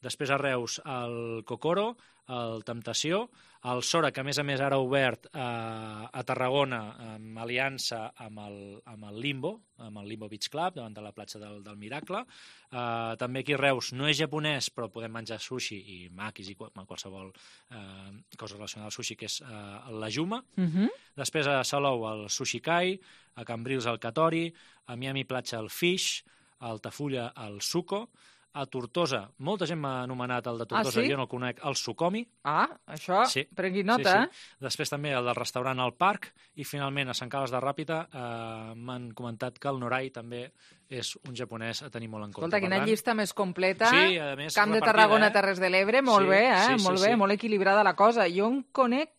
després a Reus el Kokoro, el Temptació, el Sora, que a més a més ara ha obert eh, a Tarragona amb aliança amb el, amb el Limbo, amb el Limbo Beach Club, davant de la platja del, del Miracle. Eh, també aquí a Reus no és japonès, però podem menjar sushi i maquis i qualsevol eh, cosa relacionada al sushi, que és eh, la Juma. Uh-huh. Després a Salou el Sushi Kai, a Cambrils el Katori, a Miami Platja el Fish, a Altafulla el Suco, a Tortosa, molta gent m'ha anomenat el de Tortosa, ah, sí? jo no el conec, el Sucomi. Ah, això, sí. prengui nota. Sí, sí. Després també el del restaurant al Parc, i finalment a Sant Carles de Ràpita eh, m'han comentat que el Norai també és un japonès a tenir molt en compte. Escolta, quina tant... llista més completa. Sí, a més, Camp de repartida, Tarragona, eh? Terres de l'Ebre, molt sí, bé, eh? Sí, molt sí, bé, sí. molt equilibrada la cosa. Jo en conec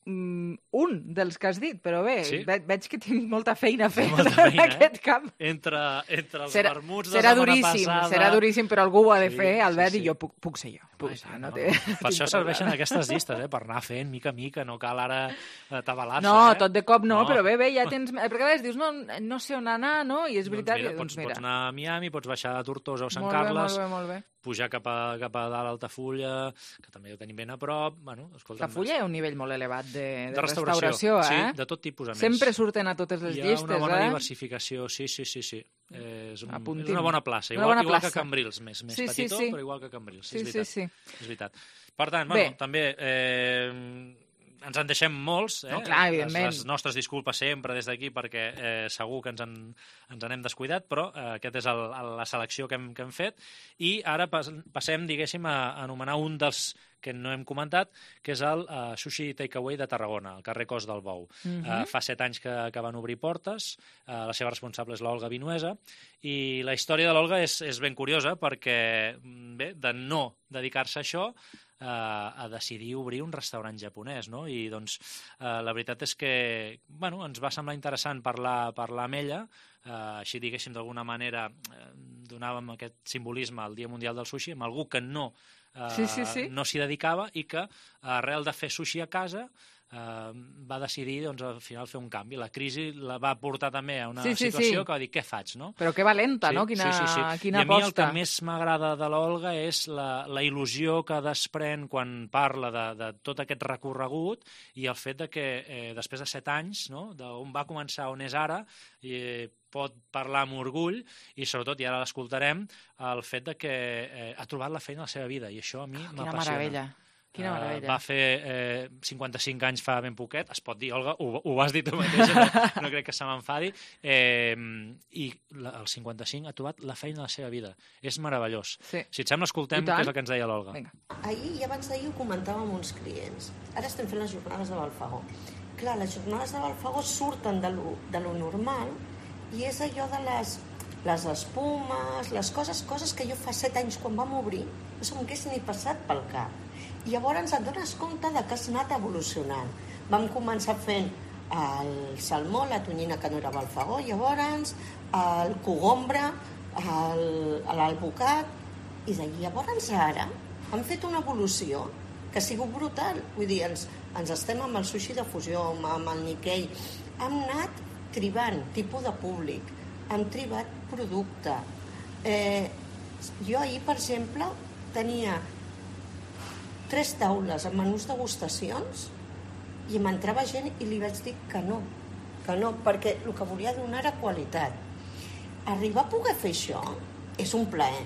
mm, un dels que has dit, però bé, sí? ve veig que tinc molta feina a fer molta feina, en aquest camp. Eh? Entre, entre els serà, vermuts de serà la setmana duríssim, passada... Serà duríssim, però algú ho ha de sí, fer, Albert, sí, sí. i jo puc, puc ser jo. Puc ser, no, no, té, no. Per això serveixen aquestes llistes, eh? Per anar fent mica a mica, no cal ara tabalar-se. No, eh? tot de cop no, no, però bé, bé, ja tens... Perquè a vegades dius, no, no sé on anar, no? I és veritat... Doncs mira, doncs pots, mira. pots anar a Miami, pots baixar a Tortosa o Sant molt Carles, bé, molt bé, molt bé. pujar cap a, cap a dalt a Altafulla, que també ho tenim ben a prop. Bueno, escolta, Altafulla hi ha un nivell molt elevat de, de, de restauració, restauració, eh? Sí, de tot tipus, a més. Sempre surten a totes les hi llistes, eh? Hi ha una bona eh? diversificació, sí, sí, sí, sí. És, un, és una bona plaça, igual, bona igual plaça. que Cambrils, més, més sí, petitó, sí, sí. però igual que Cambrils, sí, és veritat. Sí, sí. És veritat. Per tant, bueno, també eh, ens en deixem molts, eh? No, clar, evidentment. Les, les nostres disculpes sempre des d'aquí perquè eh, segur que ens en, ens en hem descuidat, però eh, aquest és el, el, la selecció que hem, que hem fet i ara pas, passem, diguéssim, a, a anomenar un dels que no hem comentat, que és el uh, Sushi Takeaway de Tarragona, al carrer Cos del Bou. Uh-huh. uh, fa set anys que, que van obrir portes, uh, la seva responsable és l'Olga Vinuesa, i la història de l'Olga és, és ben curiosa perquè, bé, de no dedicar-se a això, a decidir obrir un restaurant japonès, no? I doncs la veritat és que bueno, ens va semblar interessant parlar, parlar amb ella, així diguéssim d'alguna manera donàvem aquest simbolisme al Dia Mundial del Sushi amb algú que no sí, sí, sí. no s'hi dedicava i que arrel de fer sushi a casa Uh, va decidir doncs, al final fer un canvi. La crisi la va portar també a una sí, sí, situació sí. que va dir, què faig? No? Però que valenta, sí, no? Quina, sí, sí, sí. quina I a mi aposta. El que més m'agrada de l'Olga és la, la il·lusió que desprèn quan parla de, de tot aquest recorregut i el fet de que eh, després de set anys, no? d'on va començar on és ara, i pot parlar amb orgull i sobretot, i ara l'escoltarem, el fet de que eh, ha trobat la feina a la seva vida i això a mi oh, m'apassiona. Quina meravella. Quina meravella. Uh, va fer eh, cinquanta-cinc anys fa ben poquet, es pot dir, Olga, ho, ho has dit tu mateixa, no, no crec que se m'enfadi, eh, i la, el cinquanta-cinc ha trobat la feina de la seva vida. És meravellós. Sí. Si et sembla, escoltem què és el que ens deia l'Olga. Vinga. Ahir i abans d'ahir ho comentava amb uns clients. Ara estem fent les jornades de Balfagó. Clar, les jornades de Balfagó surten de lo, de lo normal i és allò de les, les espumes, les coses, coses que jo fa set anys quan vam obrir no se'm hagués ni passat pel cap. I llavors et dones compte de que has anat evolucionant. Vam començar fent el salmó, la tonyina que no era Balfagó, llavors el cogombre, l'alvocat, i de llavors ara hem fet una evolució que ha sigut brutal. Vull dir, ens, ens estem amb el sushi de fusió, amb el Nikkei, hem anat tribant tipus de públic, hem tribat producte. Eh, jo ahir, per exemple, tenia tres taules amb menús degustacions i m'entrava gent i li vaig dir que no, que no, perquè el que volia donar era qualitat. Arribar a poder fer això és un plaer.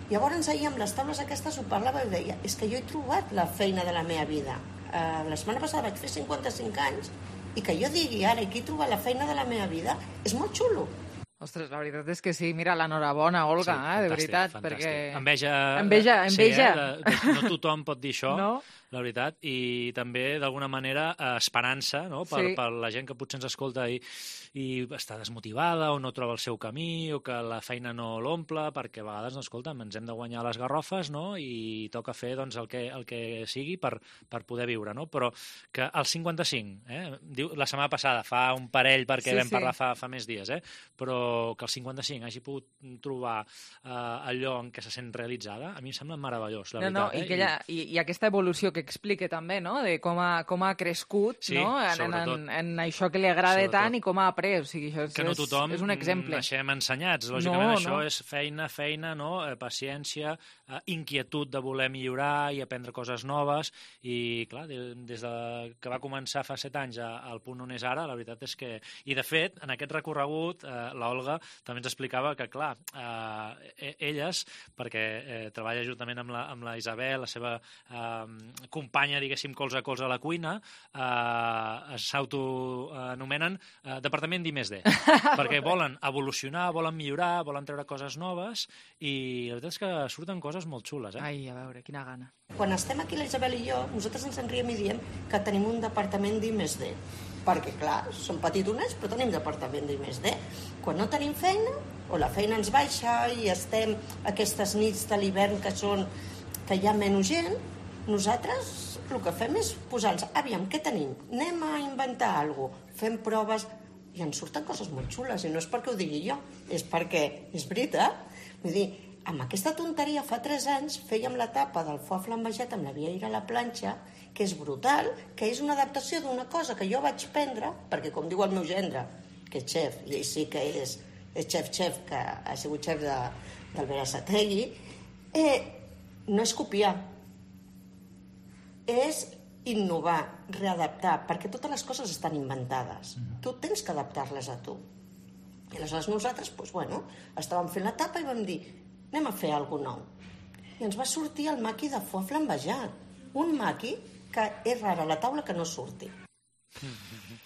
Llavors ahir amb les taules aquestes ho parlava i deia, és que jo he trobat la feina de la meva vida. Uh, la setmana passada vaig fer cinquanta-cinc anys i que jo digui ara que he trobat la feina de la meva vida és molt xulo. Ostres, la veritat és que sí, mira, l'enhorabona, Olga, sí, eh, de veritat, fantàstic. perquè... Enveja... Enveja, enveja. Sí, eh, de, de, no tothom pot dir això, no? La veritat, i també, d'alguna manera, esperança, no?, per, sí. per la gent que potser ens escolta i, i està desmotivada o no troba el seu camí o que la feina no l'omple, perquè a vegades, no, escolta, ens hem de guanyar les garrofes, no?, i toca fer, doncs, el que, el que sigui per, per poder viure, no? Però que al cinquanta-cinc, eh, diu, la setmana passada, fa un parell, perquè sí, vam parlar sí. fa, fa més dies, eh, però que al cinquanta-cinc hagi pogut trobar eh, allò en què se sent realitzada, a mi em sembla meravellós, la no, veritat. No, i, eh? que ella, i, i aquesta evolució que explica també, no?, de com ha, com ha crescut, sí, no?, en, en, en això que li agrada sobretot. Tant i com ha après, o sigui, això és, que no tothom és un exemple. naixem ensenyats, lògicament no, això no. és feina, feina, no?, eh, paciència, eh, inquietud de voler millorar i aprendre coses noves, i clar, de, des de que va començar fa set anys a, al punt on és ara, la veritat és que... I de fet, en aquest recorregut, eh, l'Olga també ens explicava que, clar, eh, elles, perquè eh, treballa juntament amb la, amb la Isabel, la seva eh, companya, diguéssim, colze a colze a la cuina, eh, s'autoanomenen eh, Departament d'I més D, perquè volen evolucionar, volen millorar, volen treure coses noves, i la veritat és que surten coses molt xules, eh? Ai, a veure, quina gana. Quan estem aquí la Isabel i jo, nosaltres ens en riem i diem que tenim un departament d'I més D, perquè, clar, som petitonets, però tenim departament d'I més D. Quan no tenim feina, o la feina ens baixa i estem aquestes nits de l'hivern que són que hi ha menys gent, nosaltres el que fem és posar-nos, aviam, què tenim? Anem a inventar alguna cosa, fem proves i ens surten coses molt xules, i no és perquè ho digui jo, és perquè és veritat. Vull dir, amb aquesta tonteria fa tres anys fèiem la tapa del foie flambejat amb la vieira a la planxa, que és brutal, que és una adaptació d'una cosa que jo vaig prendre, perquè com diu el meu gendre, que és xef, i ell sí que és, és xef-xef, que ha sigut xef de, del Berasategui, eh, no és copiar, és innovar, readaptar, perquè totes les coses estan inventades. Tu tens que adaptar-les a tu. I aleshores nosaltres, doncs, bueno, estàvem fent la tapa i vam dir, anem a fer alguna cosa nou. I ens va sortir el maqui de foie flambejat. Un maqui que és rara la taula que no surti.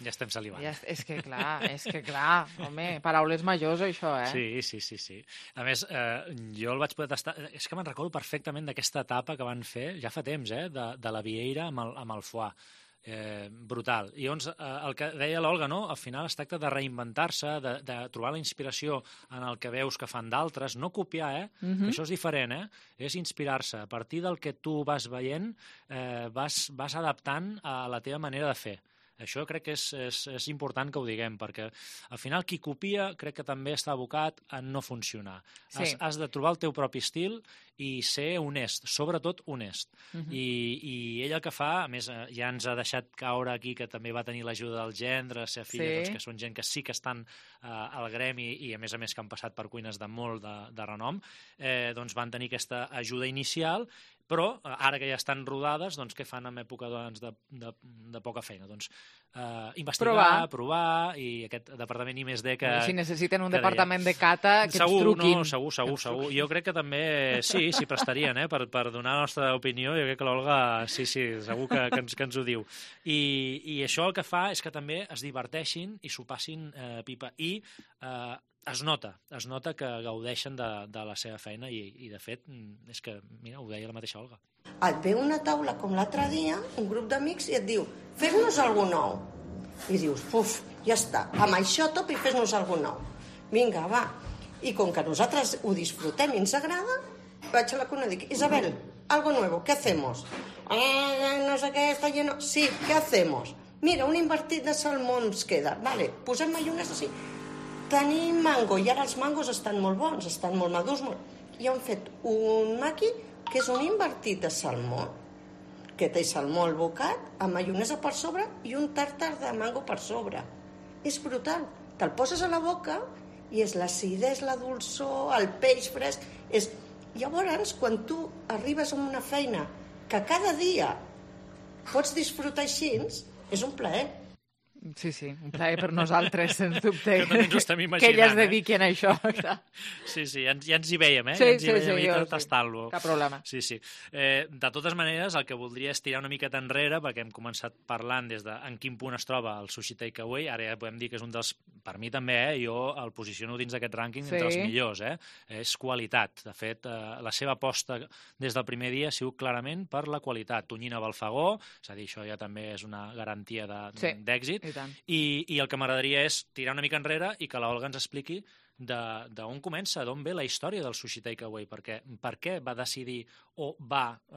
Ja estem salivant. Ja, és que clar, és que clar, home, paraules majors això, eh? Sí, sí, sí, sí. A més, eh, jo el vaig poder tastar... És que me'n recordo perfectament d'aquesta etapa que van fer, ja fa temps, eh, de, de la vieira amb el, amb el foie. Eh, brutal. I llavors, eh, el que deia l'Olga, no? Al final es tracta de reinventar-se, de, de trobar la inspiració en el que veus que fan d'altres, no copiar, eh? Mhm. Això és diferent, eh? És inspirar-se. A partir del que tu vas veient, eh, vas, vas adaptant a la teva manera de fer. Això crec que és, és, és important que ho diguem, perquè al final qui copia crec que també està abocat a no funcionar. Sí. Has, has de trobar el teu propi estil i ser honest, sobretot honest. Mhm. I, I ell el que fa, a més, eh, ja ens ha deixat caure aquí que també va tenir l'ajuda del gendre, la seva filla, Sí. doncs, que són gent que sí que estan eh, al gremi i, a més a més, que han passat per cuines de molt de, de renom, eh, doncs van tenir aquesta ajuda inicial, però ara que ja estan rodades, doncs què fan en època doncs, de, de, de poca feina? Doncs eh, investigar, Provar. provar, i aquest departament I més D que... Si necessiten un que departament de cata, que segur, ens truquin. No, segur, segur, segur. Jo crec que també sí, s'hi prestarien, eh, per, per donar la nostra opinió. Jo crec que l'Olga, sí, sí, segur que, que, ens, que ens ho diu. I, I això el que fa és que també es diverteixin i s'ho passin eh, pipa. I eh, es nota, es nota que gaudeixen de, de la seva feina i, i de fet, és que, mira, ho deia la mateixa Olga. Et ve una taula com l'altre dia, un grup d'amics, i et diu, fes-nos alguna nou. I dius, puf, ja està, amb això top i fes-nos alguna nou. Vinga, va. I com que nosaltres ho disfrutem i ens agrada, vaig a la cuna i dic, Isabel, algo nuevo, ¿qué hacemos? Eh, no sé què, està lleno... Sí, ¿qué hacemos? Mira, un invertit de salmó ens queda. Vale, posem maionesa, sí. Tenim mango, i ara els mangos estan molt bons, estan molt madurs. Molt... I han fet un maqui que és un invertit de salmó, que té salmó al bocat, amb maionesa per sobre i un tàrtar de mango per sobre. És brutal. Te'l poses a la boca i és l'acidesa, la dolçor, el peix fresc. És... Llavors, quan tu arribes a una feina que cada dia pots disfrutar així, és un plaer. Sí, sí, un plaer per nosaltres, sens dubte. Que també ens ho estem imaginant, que elles eh? dediquin a això. Sí, sí, ja ens, ja ens hi veiem, eh? Sí, ja ens hi sí, veiem sí, i jo, tastant-lo. sí. Cap problema. Sí, sí. Eh, de totes maneres, el que voldria és tirar una miqueta enrere, perquè hem començat parlant des de en quin punt es troba el Sushi Takeaway, ara ja podem dir que és un dels... Per mi també, eh? Jo el posiciono dins d'aquest rànquing Sí. entre els millors, eh? És qualitat. De fet, eh, la seva aposta des del primer dia ha sigut clarament per la qualitat. Tonyina Balfagó, és a dir, això ja també és una garantia de- Sí, d'èxit. i tant. I, I el que m'agradaria és tirar una mica enrere i que l'Olga ens expliqui de- d'on comença, d'on ve la història del Sushi Takeaway, perquè per què va decidir o va eh,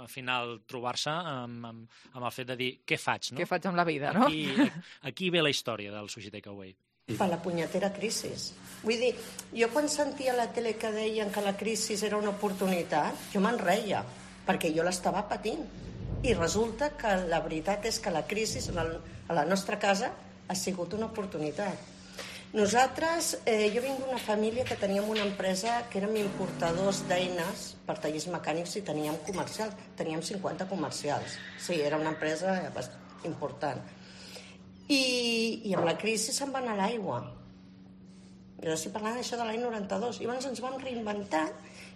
al final trobar-se amb, amb, amb el fet de dir què faig, no? Què faig amb la vida, no? Aquí, aquí ve la història del Sushi Takeaway. Per la punyetera crisi. Vull dir, jo quan sentia a la tele que deien que la crisi era una oportunitat, jo me'n reia, perquè jo l'estava patint. I resulta que la veritat és que la crisi a la nostra casa ha sigut una oportunitat. Nosaltres, eh, jo vinc d'una família que teníem una empresa que érem importadors d'eines per tallers mecànics i teníem comercials. Teníem cinquanta comercials. Sí, era una empresa bastant important. I, i amb la crisi se'n va anar l'aigua. Jo estic parlant d'això de l'any noranta-dos. I llavors ens vam reinventar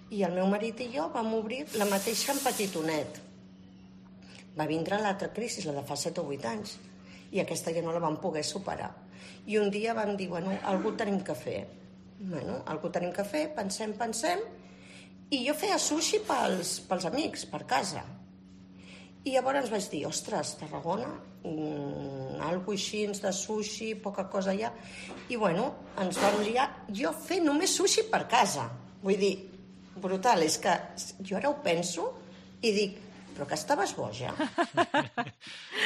i el meu marit i jo vam obrir la mateixa en petitonet. Va vindre l'altra crisi, la de fa set o vuit anys, i aquesta ja no la vam poder superar. I un dia vam dir, bueno, algú tenim que fer. Bueno, algú tenim que fer, pensem, pensem, i jo feia sushi pels, pels amics, per casa. I llavors vaig dir, ostres, Tarragona, mmm, algo així de sushi, poca cosa allà. I bueno, ens vam liar, jo fer només sushi per casa. Vull dir, brutal, és que jo ara ho penso i dic, però que estaves boja.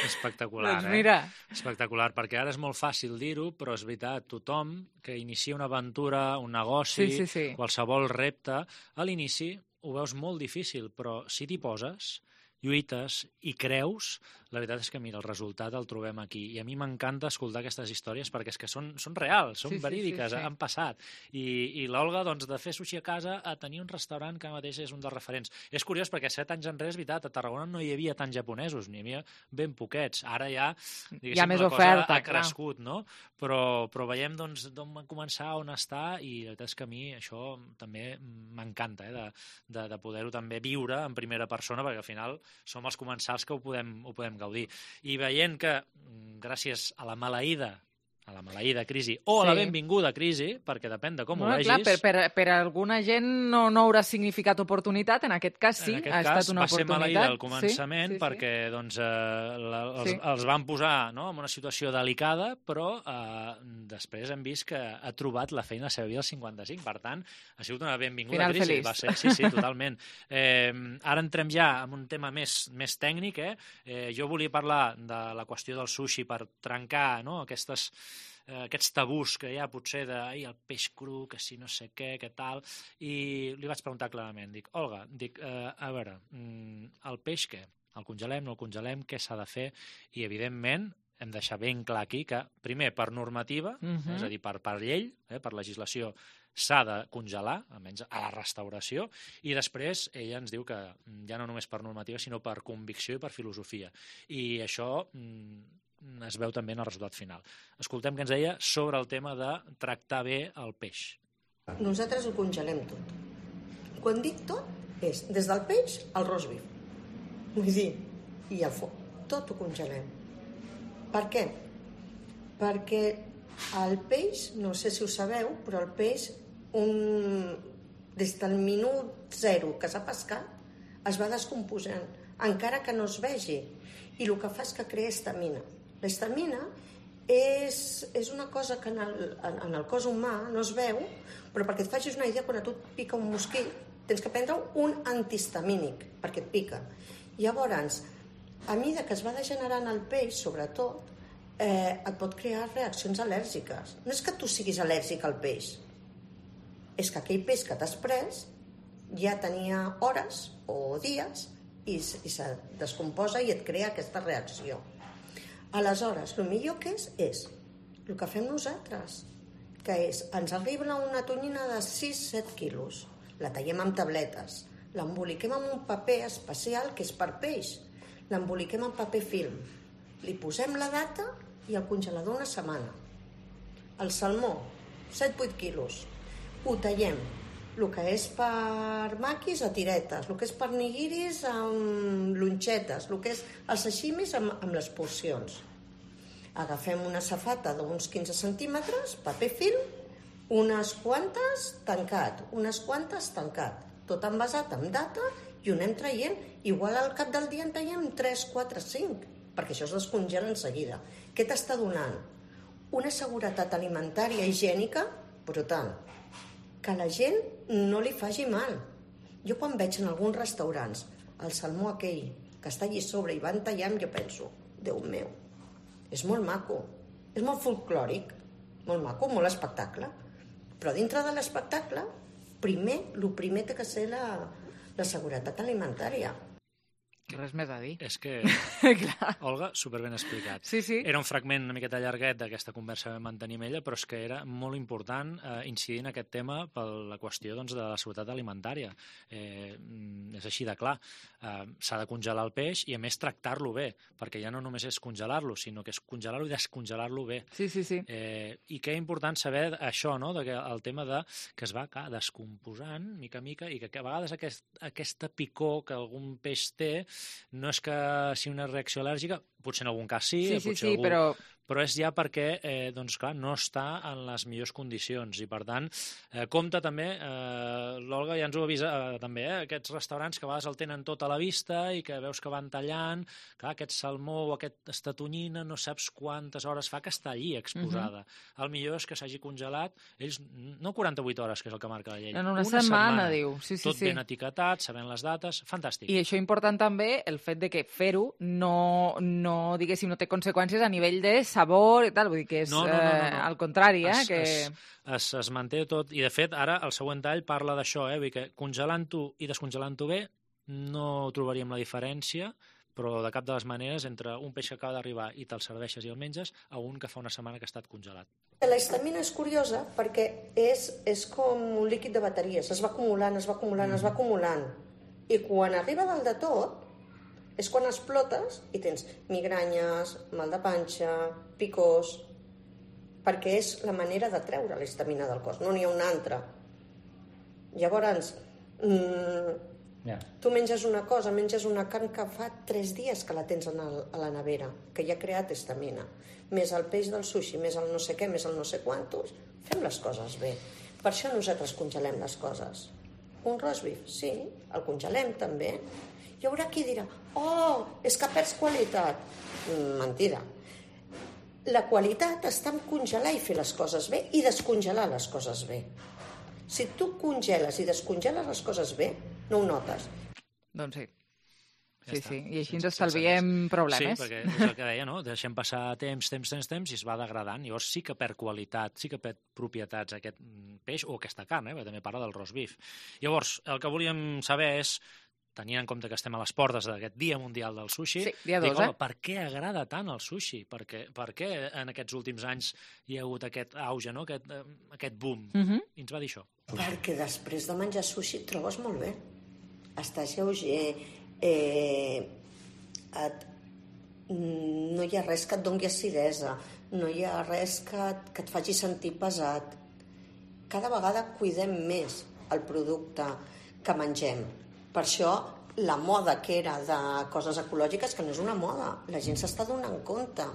Espectacular, Doncs mira. eh? Espectacular, perquè ara és molt fàcil dir-ho, però és veritat, tothom que inicia una aventura, un negoci, Sí, sí, sí. qualsevol repte, a l'inici ho veus molt difícil, però si t'hi poses, lluites i creus, la veritat és que, mira, el resultat el trobem aquí. I a mi m'encanta escoltar aquestes històries perquè és que són, són reals, són Sí, sí, verídiques, sí, sí. han passat. I, i l'Olga, doncs, de fer sushi a casa a tenir un restaurant que mateix és un dels referents. És curiós perquè set anys enrere, és veritat, a Tarragona no hi havia tants japonesos, n'hi havia ben poquets. Ara ja, diguéssim, Hi ha més la oferta, cosa ha clar. crescut, no? Però, però veiem, doncs, d'on va començar, on està, i la veritat és que a mi això també m'encanta, eh, de, de, de poder-ho també viure en primera persona, perquè al final som els comensals que ho podem, ho podem gaudir. I veient que, gràcies a la maleïda a la maleïda crisi o a la benvinguda crisi, perquè depèn de com ho vegis. Clar, per, per, per alguna gent no, no haurà significat oportunitat, en aquest cas sí, aquest ha cas, estat una oportunitat. Va ser maleïda al començament sí, sí, sí. perquè doncs, eh, la, els, sí. els van posar no, en una situació delicada, però eh, després hem vist que ha trobat la feina a la seva vida als cinquanta-cinc. Per tant, ha sigut una benvinguda Final crisi. feliç. Va ser, sí, sí, totalment. Eh, ara entrem ja en un tema més, més tècnic. Eh? Eh, jo volia parlar de la qüestió del sushi per trencar no, aquestes eh, aquests tabús que hi ha potser de ai, el peix cru, que si no sé què, que tal, i li vaig preguntar clarament, dic, Olga, dic, eh, a veure, el peix què? El congelem, no el congelem, què s'ha de fer? I evidentment hem de deixar ben clar aquí que, primer, per normativa, uh-huh. és a dir, per, per llei, eh, per legislació, s'ha de congelar, almenys a la restauració, i després ella ens diu que ja no només per normativa, sinó per convicció i per filosofia. I això mm, es veu també en el resultat final. Escoltem què ens deia sobre el tema de tractar bé el peix. Nosaltres ho congelem tot. Quan dic tot, és des del peix al roast beef. Vull dir, i al foc. Tot ho congelem. Per què? Perquè el peix, no sé si ho sabeu, però el peix, un... des del minut zero que s'ha pescat, es va descomposant, encara que no es vegi. I el que fa és que crea estamina. L'estamina és, és una cosa que en el, en el cos humà no es veu, però perquè et facis una idea, quan a tu et pica un mosquit, tens que prendre un antihistamínic, perquè et pica. Llavors, a mesura que es va degenerant el peix, sobretot, eh, et pot crear reaccions al·lèrgiques. No és que tu siguis al·lèrgic al peix, és que aquell peix que t'has pres ja tenia hores o dies i, i se descomposa i et crea aquesta reacció. Aleshores, el millor que és, és el que fem nosaltres, que és, ens arriba una tonyina de sis a set quilos, la tallem amb tabletes, l'emboliquem amb un paper especial que és per peix, l'emboliquem amb paper film, li posem la data i al congelador una setmana. El salmó, set a vuit quilos, ho tallem, el que és per maquis a tiretes, el que és per nigiris amb lonxetes, el que és els sashimis amb, amb les porcions. Agafem una safata d'uns quinze centímetres, paper film, unes quantes tancat, unes quantes tancat, tot envasat amb data i ho anem traient. Igual al cap del dia en traiem tres, quatre, cinc, perquè això es descongela en seguida. Què t'està donant? Una seguretat alimentària higiènica brutal. Que la gent no li faci mal. Jo quan veig en alguns restaurants el salmó aquell que està allí sobre i van tallant, jo penso, Déu meu, és molt maco, és molt folclòric, molt maco, molt espectacle, però dintre de l'espectacle, primer, el primer té que ser la, la seguretat alimentària. Res més a dir. És que, Olga, superben explicat. Sí, sí. Era un fragment una miqueta llarguet d'aquesta conversa que vam mantenir amb ella, però és que era molt important eh, incidir en aquest tema per la qüestió doncs, de la seguretat alimentària. Eh, és així de clar. Eh, s'ha de congelar el peix i, a més, tractar-lo bé, perquè ja no només és congelar-lo, sinó que és congelar-lo i descongelar-lo bé. Sí, sí, sí. Eh, I que és important saber això, no?, de que el tema de que es va clar, descomposant mica a mica i que a vegades aquest, aquesta picor que algun peix té no és que sigui una reacció al·lèrgica, potser en algun cas sí, sí, sí, potser sí algú... però... però és ja perquè, eh, doncs clar, no està en les millors condicions i, per tant, eh, compte també, eh, l'Olga ja ens ho avisa eh, també, eh, aquests restaurants que a vegades el tenen tot a la vista i que veus que van tallant, clar, aquest salmó o aquesta tonyina no saps quantes hores fa que està allí exposada. Uh-huh. El millor és que s'hagi congelat, ells, no quaranta-vuit hores, que és el que marca la llei, en una, una setmana, setmana, diu. Sí, sí, tot sí. ben etiquetat, sabent les dates, fantàstic. I això important també, el fet de que fer-ho no, no, diguéssim, no té conseqüències a nivell de sabor i tal, vull dir que és no, no, no, no, no. Eh, al contrari, eh? Es, que... es, es, es manté tot, i de fet ara el següent tall parla d'això, eh? Vull dir que congelant-ho i descongelant-ho bé no trobaríem la diferència, però de cap de les maneres entre un peix que acaba d'arribar i te'l serveixes i el menges a un que fa una setmana que ha estat congelat. La histamina és curiosa perquè és, és com un líquid de bateries, es va acumulant, es va acumulant, mm. es va acumulant, i quan arriba dalt de tot és quan explotes i tens migranyes, mal de panxa, picors, perquè és la manera de treure la histamina del cos, no n'hi ha una altra. Llavors, mmm, Yeah. Tu menges una cosa, menges una carn que fa tres dies que la tens a la nevera, que ja ha creat estamina, més el peix del sushi, més el no sé què, més el no sé quantos, fem les coses bé. Per això nosaltres congelem les coses. Un roast beef, sí, el congelem també. Hi haurà qui dirà, oh, és que perds qualitat. Mentida. La qualitat està en congelar i fer les coses bé i descongelar les coses bé. Si tu congeles i descongeles les coses bé, no ho notes. Doncs sí. Ja sí, està. sí, i així ens estalviem problemes. Sí, perquè és el que deia, no? Deixem passar temps, temps, temps, temps i es va degradant. Llavors sí que perd qualitat, sí que perd propietats aquest peix o aquesta carn, eh? Perquè també parla del roast beef. Llavors, el que volíem saber és, tenint en compte que estem a les portes d'aquest Dia Mundial del Sushi, sí, dia dos, dic, home, eh? per què agrada tant el sushi? Per què, per què en aquests últims anys hi ha hagut aquest auge, no? aquest, aquest boom? Uh-huh. I ens va dir això. Perquè després de menjar sushi et trobes molt bé. Estàs lleuger, eh, et, no hi ha res que et doni acidesa, no hi ha res que, que et faci sentir pesat. Cada vegada cuidem més el producte que mengem. Per això la moda que era de coses ecològiques, que no és una moda, la gent s'està donant compte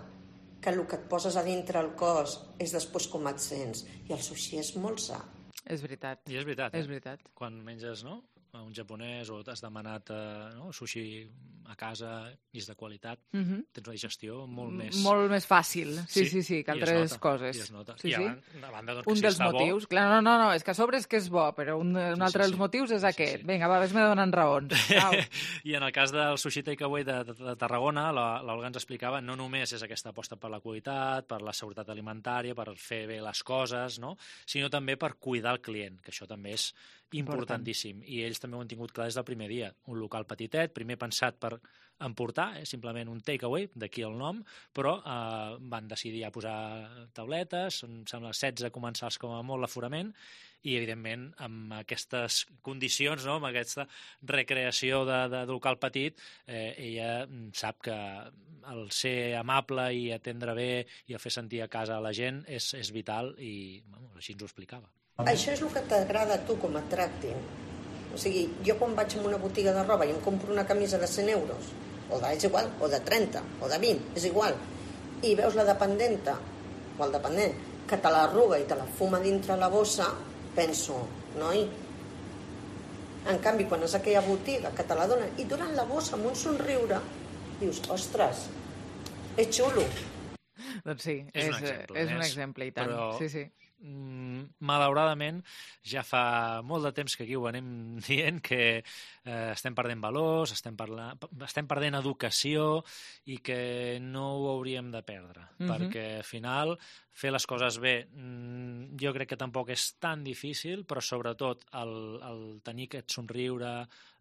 que el que et poses a dintre el cos és després com et sents, i el sushi és molt sa. És veritat. I és veritat. És eh? veritat. Quan menges, no?, un japonès o t'has demanat eh, no? sushi a casa i és de qualitat, uh-huh. tens una digestió molt més... Molt més fàcil, sí, sí, sí, sí que i altres nota, coses. I es nota. Sí, I a sí. banda, a banda doncs, un si dels està motius, bo... clar, no, no, no, és que a sobre és que és bo, però un, un sí, altre sí, dels sí. motius és sí, aquest. sí, sí. Vinga, va, ves-me donant raons. I en el cas del Sushi Takeaway de, de, de Tarragona, l'Olga ens explicava, no només és aquesta aposta per la qualitat, per la seguretat alimentària, per fer bé les coses, no?, sinó també per cuidar el client, que això també és importantíssim. I ells també ho han tingut clar des del primer dia. Un local petitet, primer pensat per emportar, eh, simplement un takeaway, d'aquí el nom, però eh, van decidir ja posar tauletes, em sembla setze comensals com a molt l'aforament, i evidentment amb aquestes condicions, no?, amb aquesta recreació de, de local petit, eh, ella sap que el ser amable i atendre bé i el fer sentir a casa a la gent és, és vital i bueno, així ens ho explicava. Això és el que t'agrada a tu com et tractin. O sigui, jo quan vaig a una botiga de roba i em compro una camisa de cent euros, o de, és igual, o de trenta, o de vint, és igual, i veus la dependenta, o el dependent, que te l'arruga i te la fuma dintre la bossa, penso, noi, en canvi, quan és aquella botiga que te la donen i durant la bossa amb un somriure, dius, ostres, és xulo. Doncs sí, és, és, un exemple, és un exemple i tant. Però... Sí, sí. Mm, malauradament ja fa molt de temps que aquí ho anem dient que eh, estem perdent valors, estem, parla... estem perdent educació i que no ho hauríem de perdre, uh-huh. perquè al final fer les coses bé mm, jo crec que tampoc és tan difícil, però sobretot el, el tenir aquest somriure,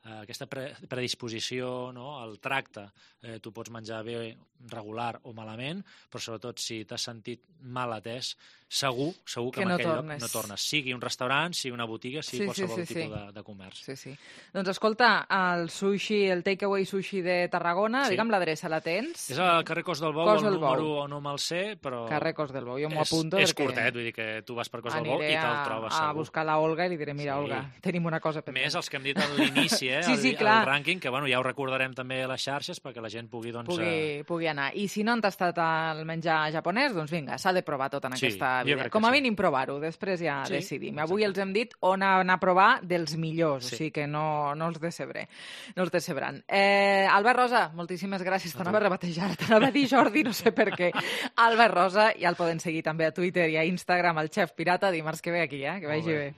eh, aquesta pre predisposició, no? El tracte, eh, tu pots menjar bé, regular o malament, però sobretot si t'has sentit mal atès, segur, segur que, que en no aquell tornes. lloc no tornes. Sigui un restaurant, sigui una botiga, sigui sí, qualsevol sí, sí, tipus sí. De, de comerç. Sí, sí. Doncs escolta, el sushi, el takeaway sushi de Tarragona, sí. digue'm l'adreça, la tens? És al carrer Cos del Bou, Cos el del número Bou. no me'l sé, però... Carrer Cos del Bou, jo m'ho apunto és perquè... curtet, vull dir que tu vas per Cos del Bou i te'l trobes a, segur. a buscar la Olga i li diré, mira, Sí. Olga, tenim una cosa pendent. Més els que hem dit a l'inici, eh? sí, sí, el, clar. el rànquing, que bueno, ja ho recordarem també a les xarxes perquè la gent pugui, doncs... Pugui, eh... pugui anar. I si no han tastat el menjar japonès, doncs vinga, s'ha de provar tot en Sí, aquesta jo vida. crec que Com a sí. mínim provar-ho, després ja Sí, decidim. Avui els hem dit on anar a provar dels millors, Sí. o sigui que no, no els decebré. No els decebran. Eh, Albert Rosa, moltíssimes gràcies. T'anava a rebatejar, t'anava a dir Jordi, no sé per què. Albert Rosa, ja el poden seguir també a Twitter i a Instagram, el Xef Pirata, dimarts que ve aquí, eh? Que vagi bé.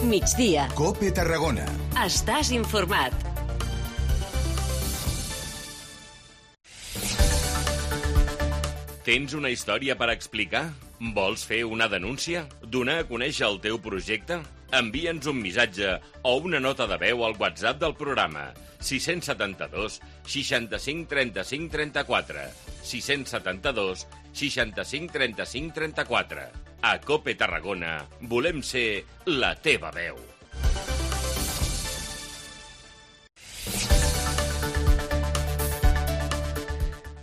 Migdia. COPE Tarragona. Estàs informat. Tens una història per explicar? Vols fer una denúncia? Donar a conèixer el teu projecte? Envia'ns un missatge o una nota de veu al WhatsApp del programa sis set dos, seixanta-cinc, trenta-cinc, trenta-quatre sis set dos, seixanta-cinc, trenta-cinc, trenta-quatre. A COPE Tarragona volem ser la teva veu.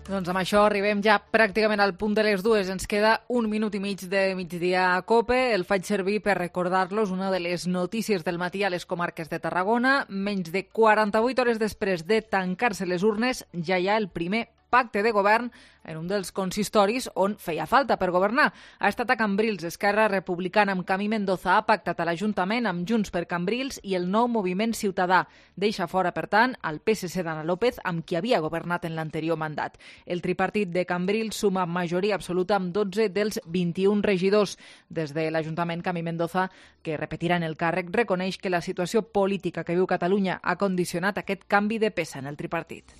Doncs amb això arribem ja pràcticament al punt de les dues. Ens queda un minut i mig de migdia a COPE. El faig servir per recordar-los una de les notícies del matí a les comarques de Tarragona. Menys de quaranta-vuit hores després de tancar-se les urnes, ja hi ha el primer pacte de govern en un dels consistoris on feia falta per governar. Ha estat a Cambrils. Esquerra Republicana amb Camí Mendoza ha pactat a l'Ajuntament amb Junts per Cambrils i el nou Moviment Ciutadà. Deixa fora, per tant, el P S C d'Anna López, amb qui havia governat en l'anterior mandat. El tripartit de Cambrils suma majoria absoluta amb dotze dels vint-i-un regidors. Des de l'Ajuntament, Camí Mendoza, que repetirà en el càrrec, reconeix que la situació política que viu Catalunya ha condicionat aquest canvi de peça en el tripartit.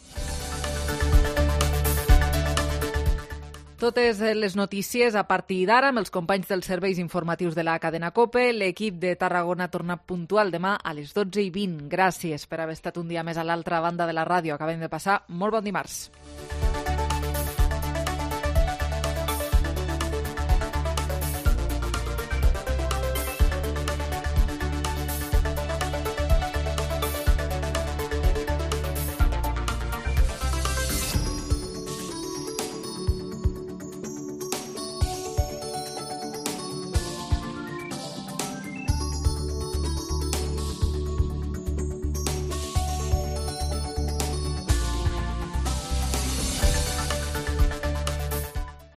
Totes les notícies a partir d'ara amb els companys dels serveis informatius de la cadena COPE. L'equip de Tarragona torna puntual demà a les dotze i vint. Gràcies per haver estat un dia més a l'altra banda de la ràdio. Acabem de passar molt bon dimarts.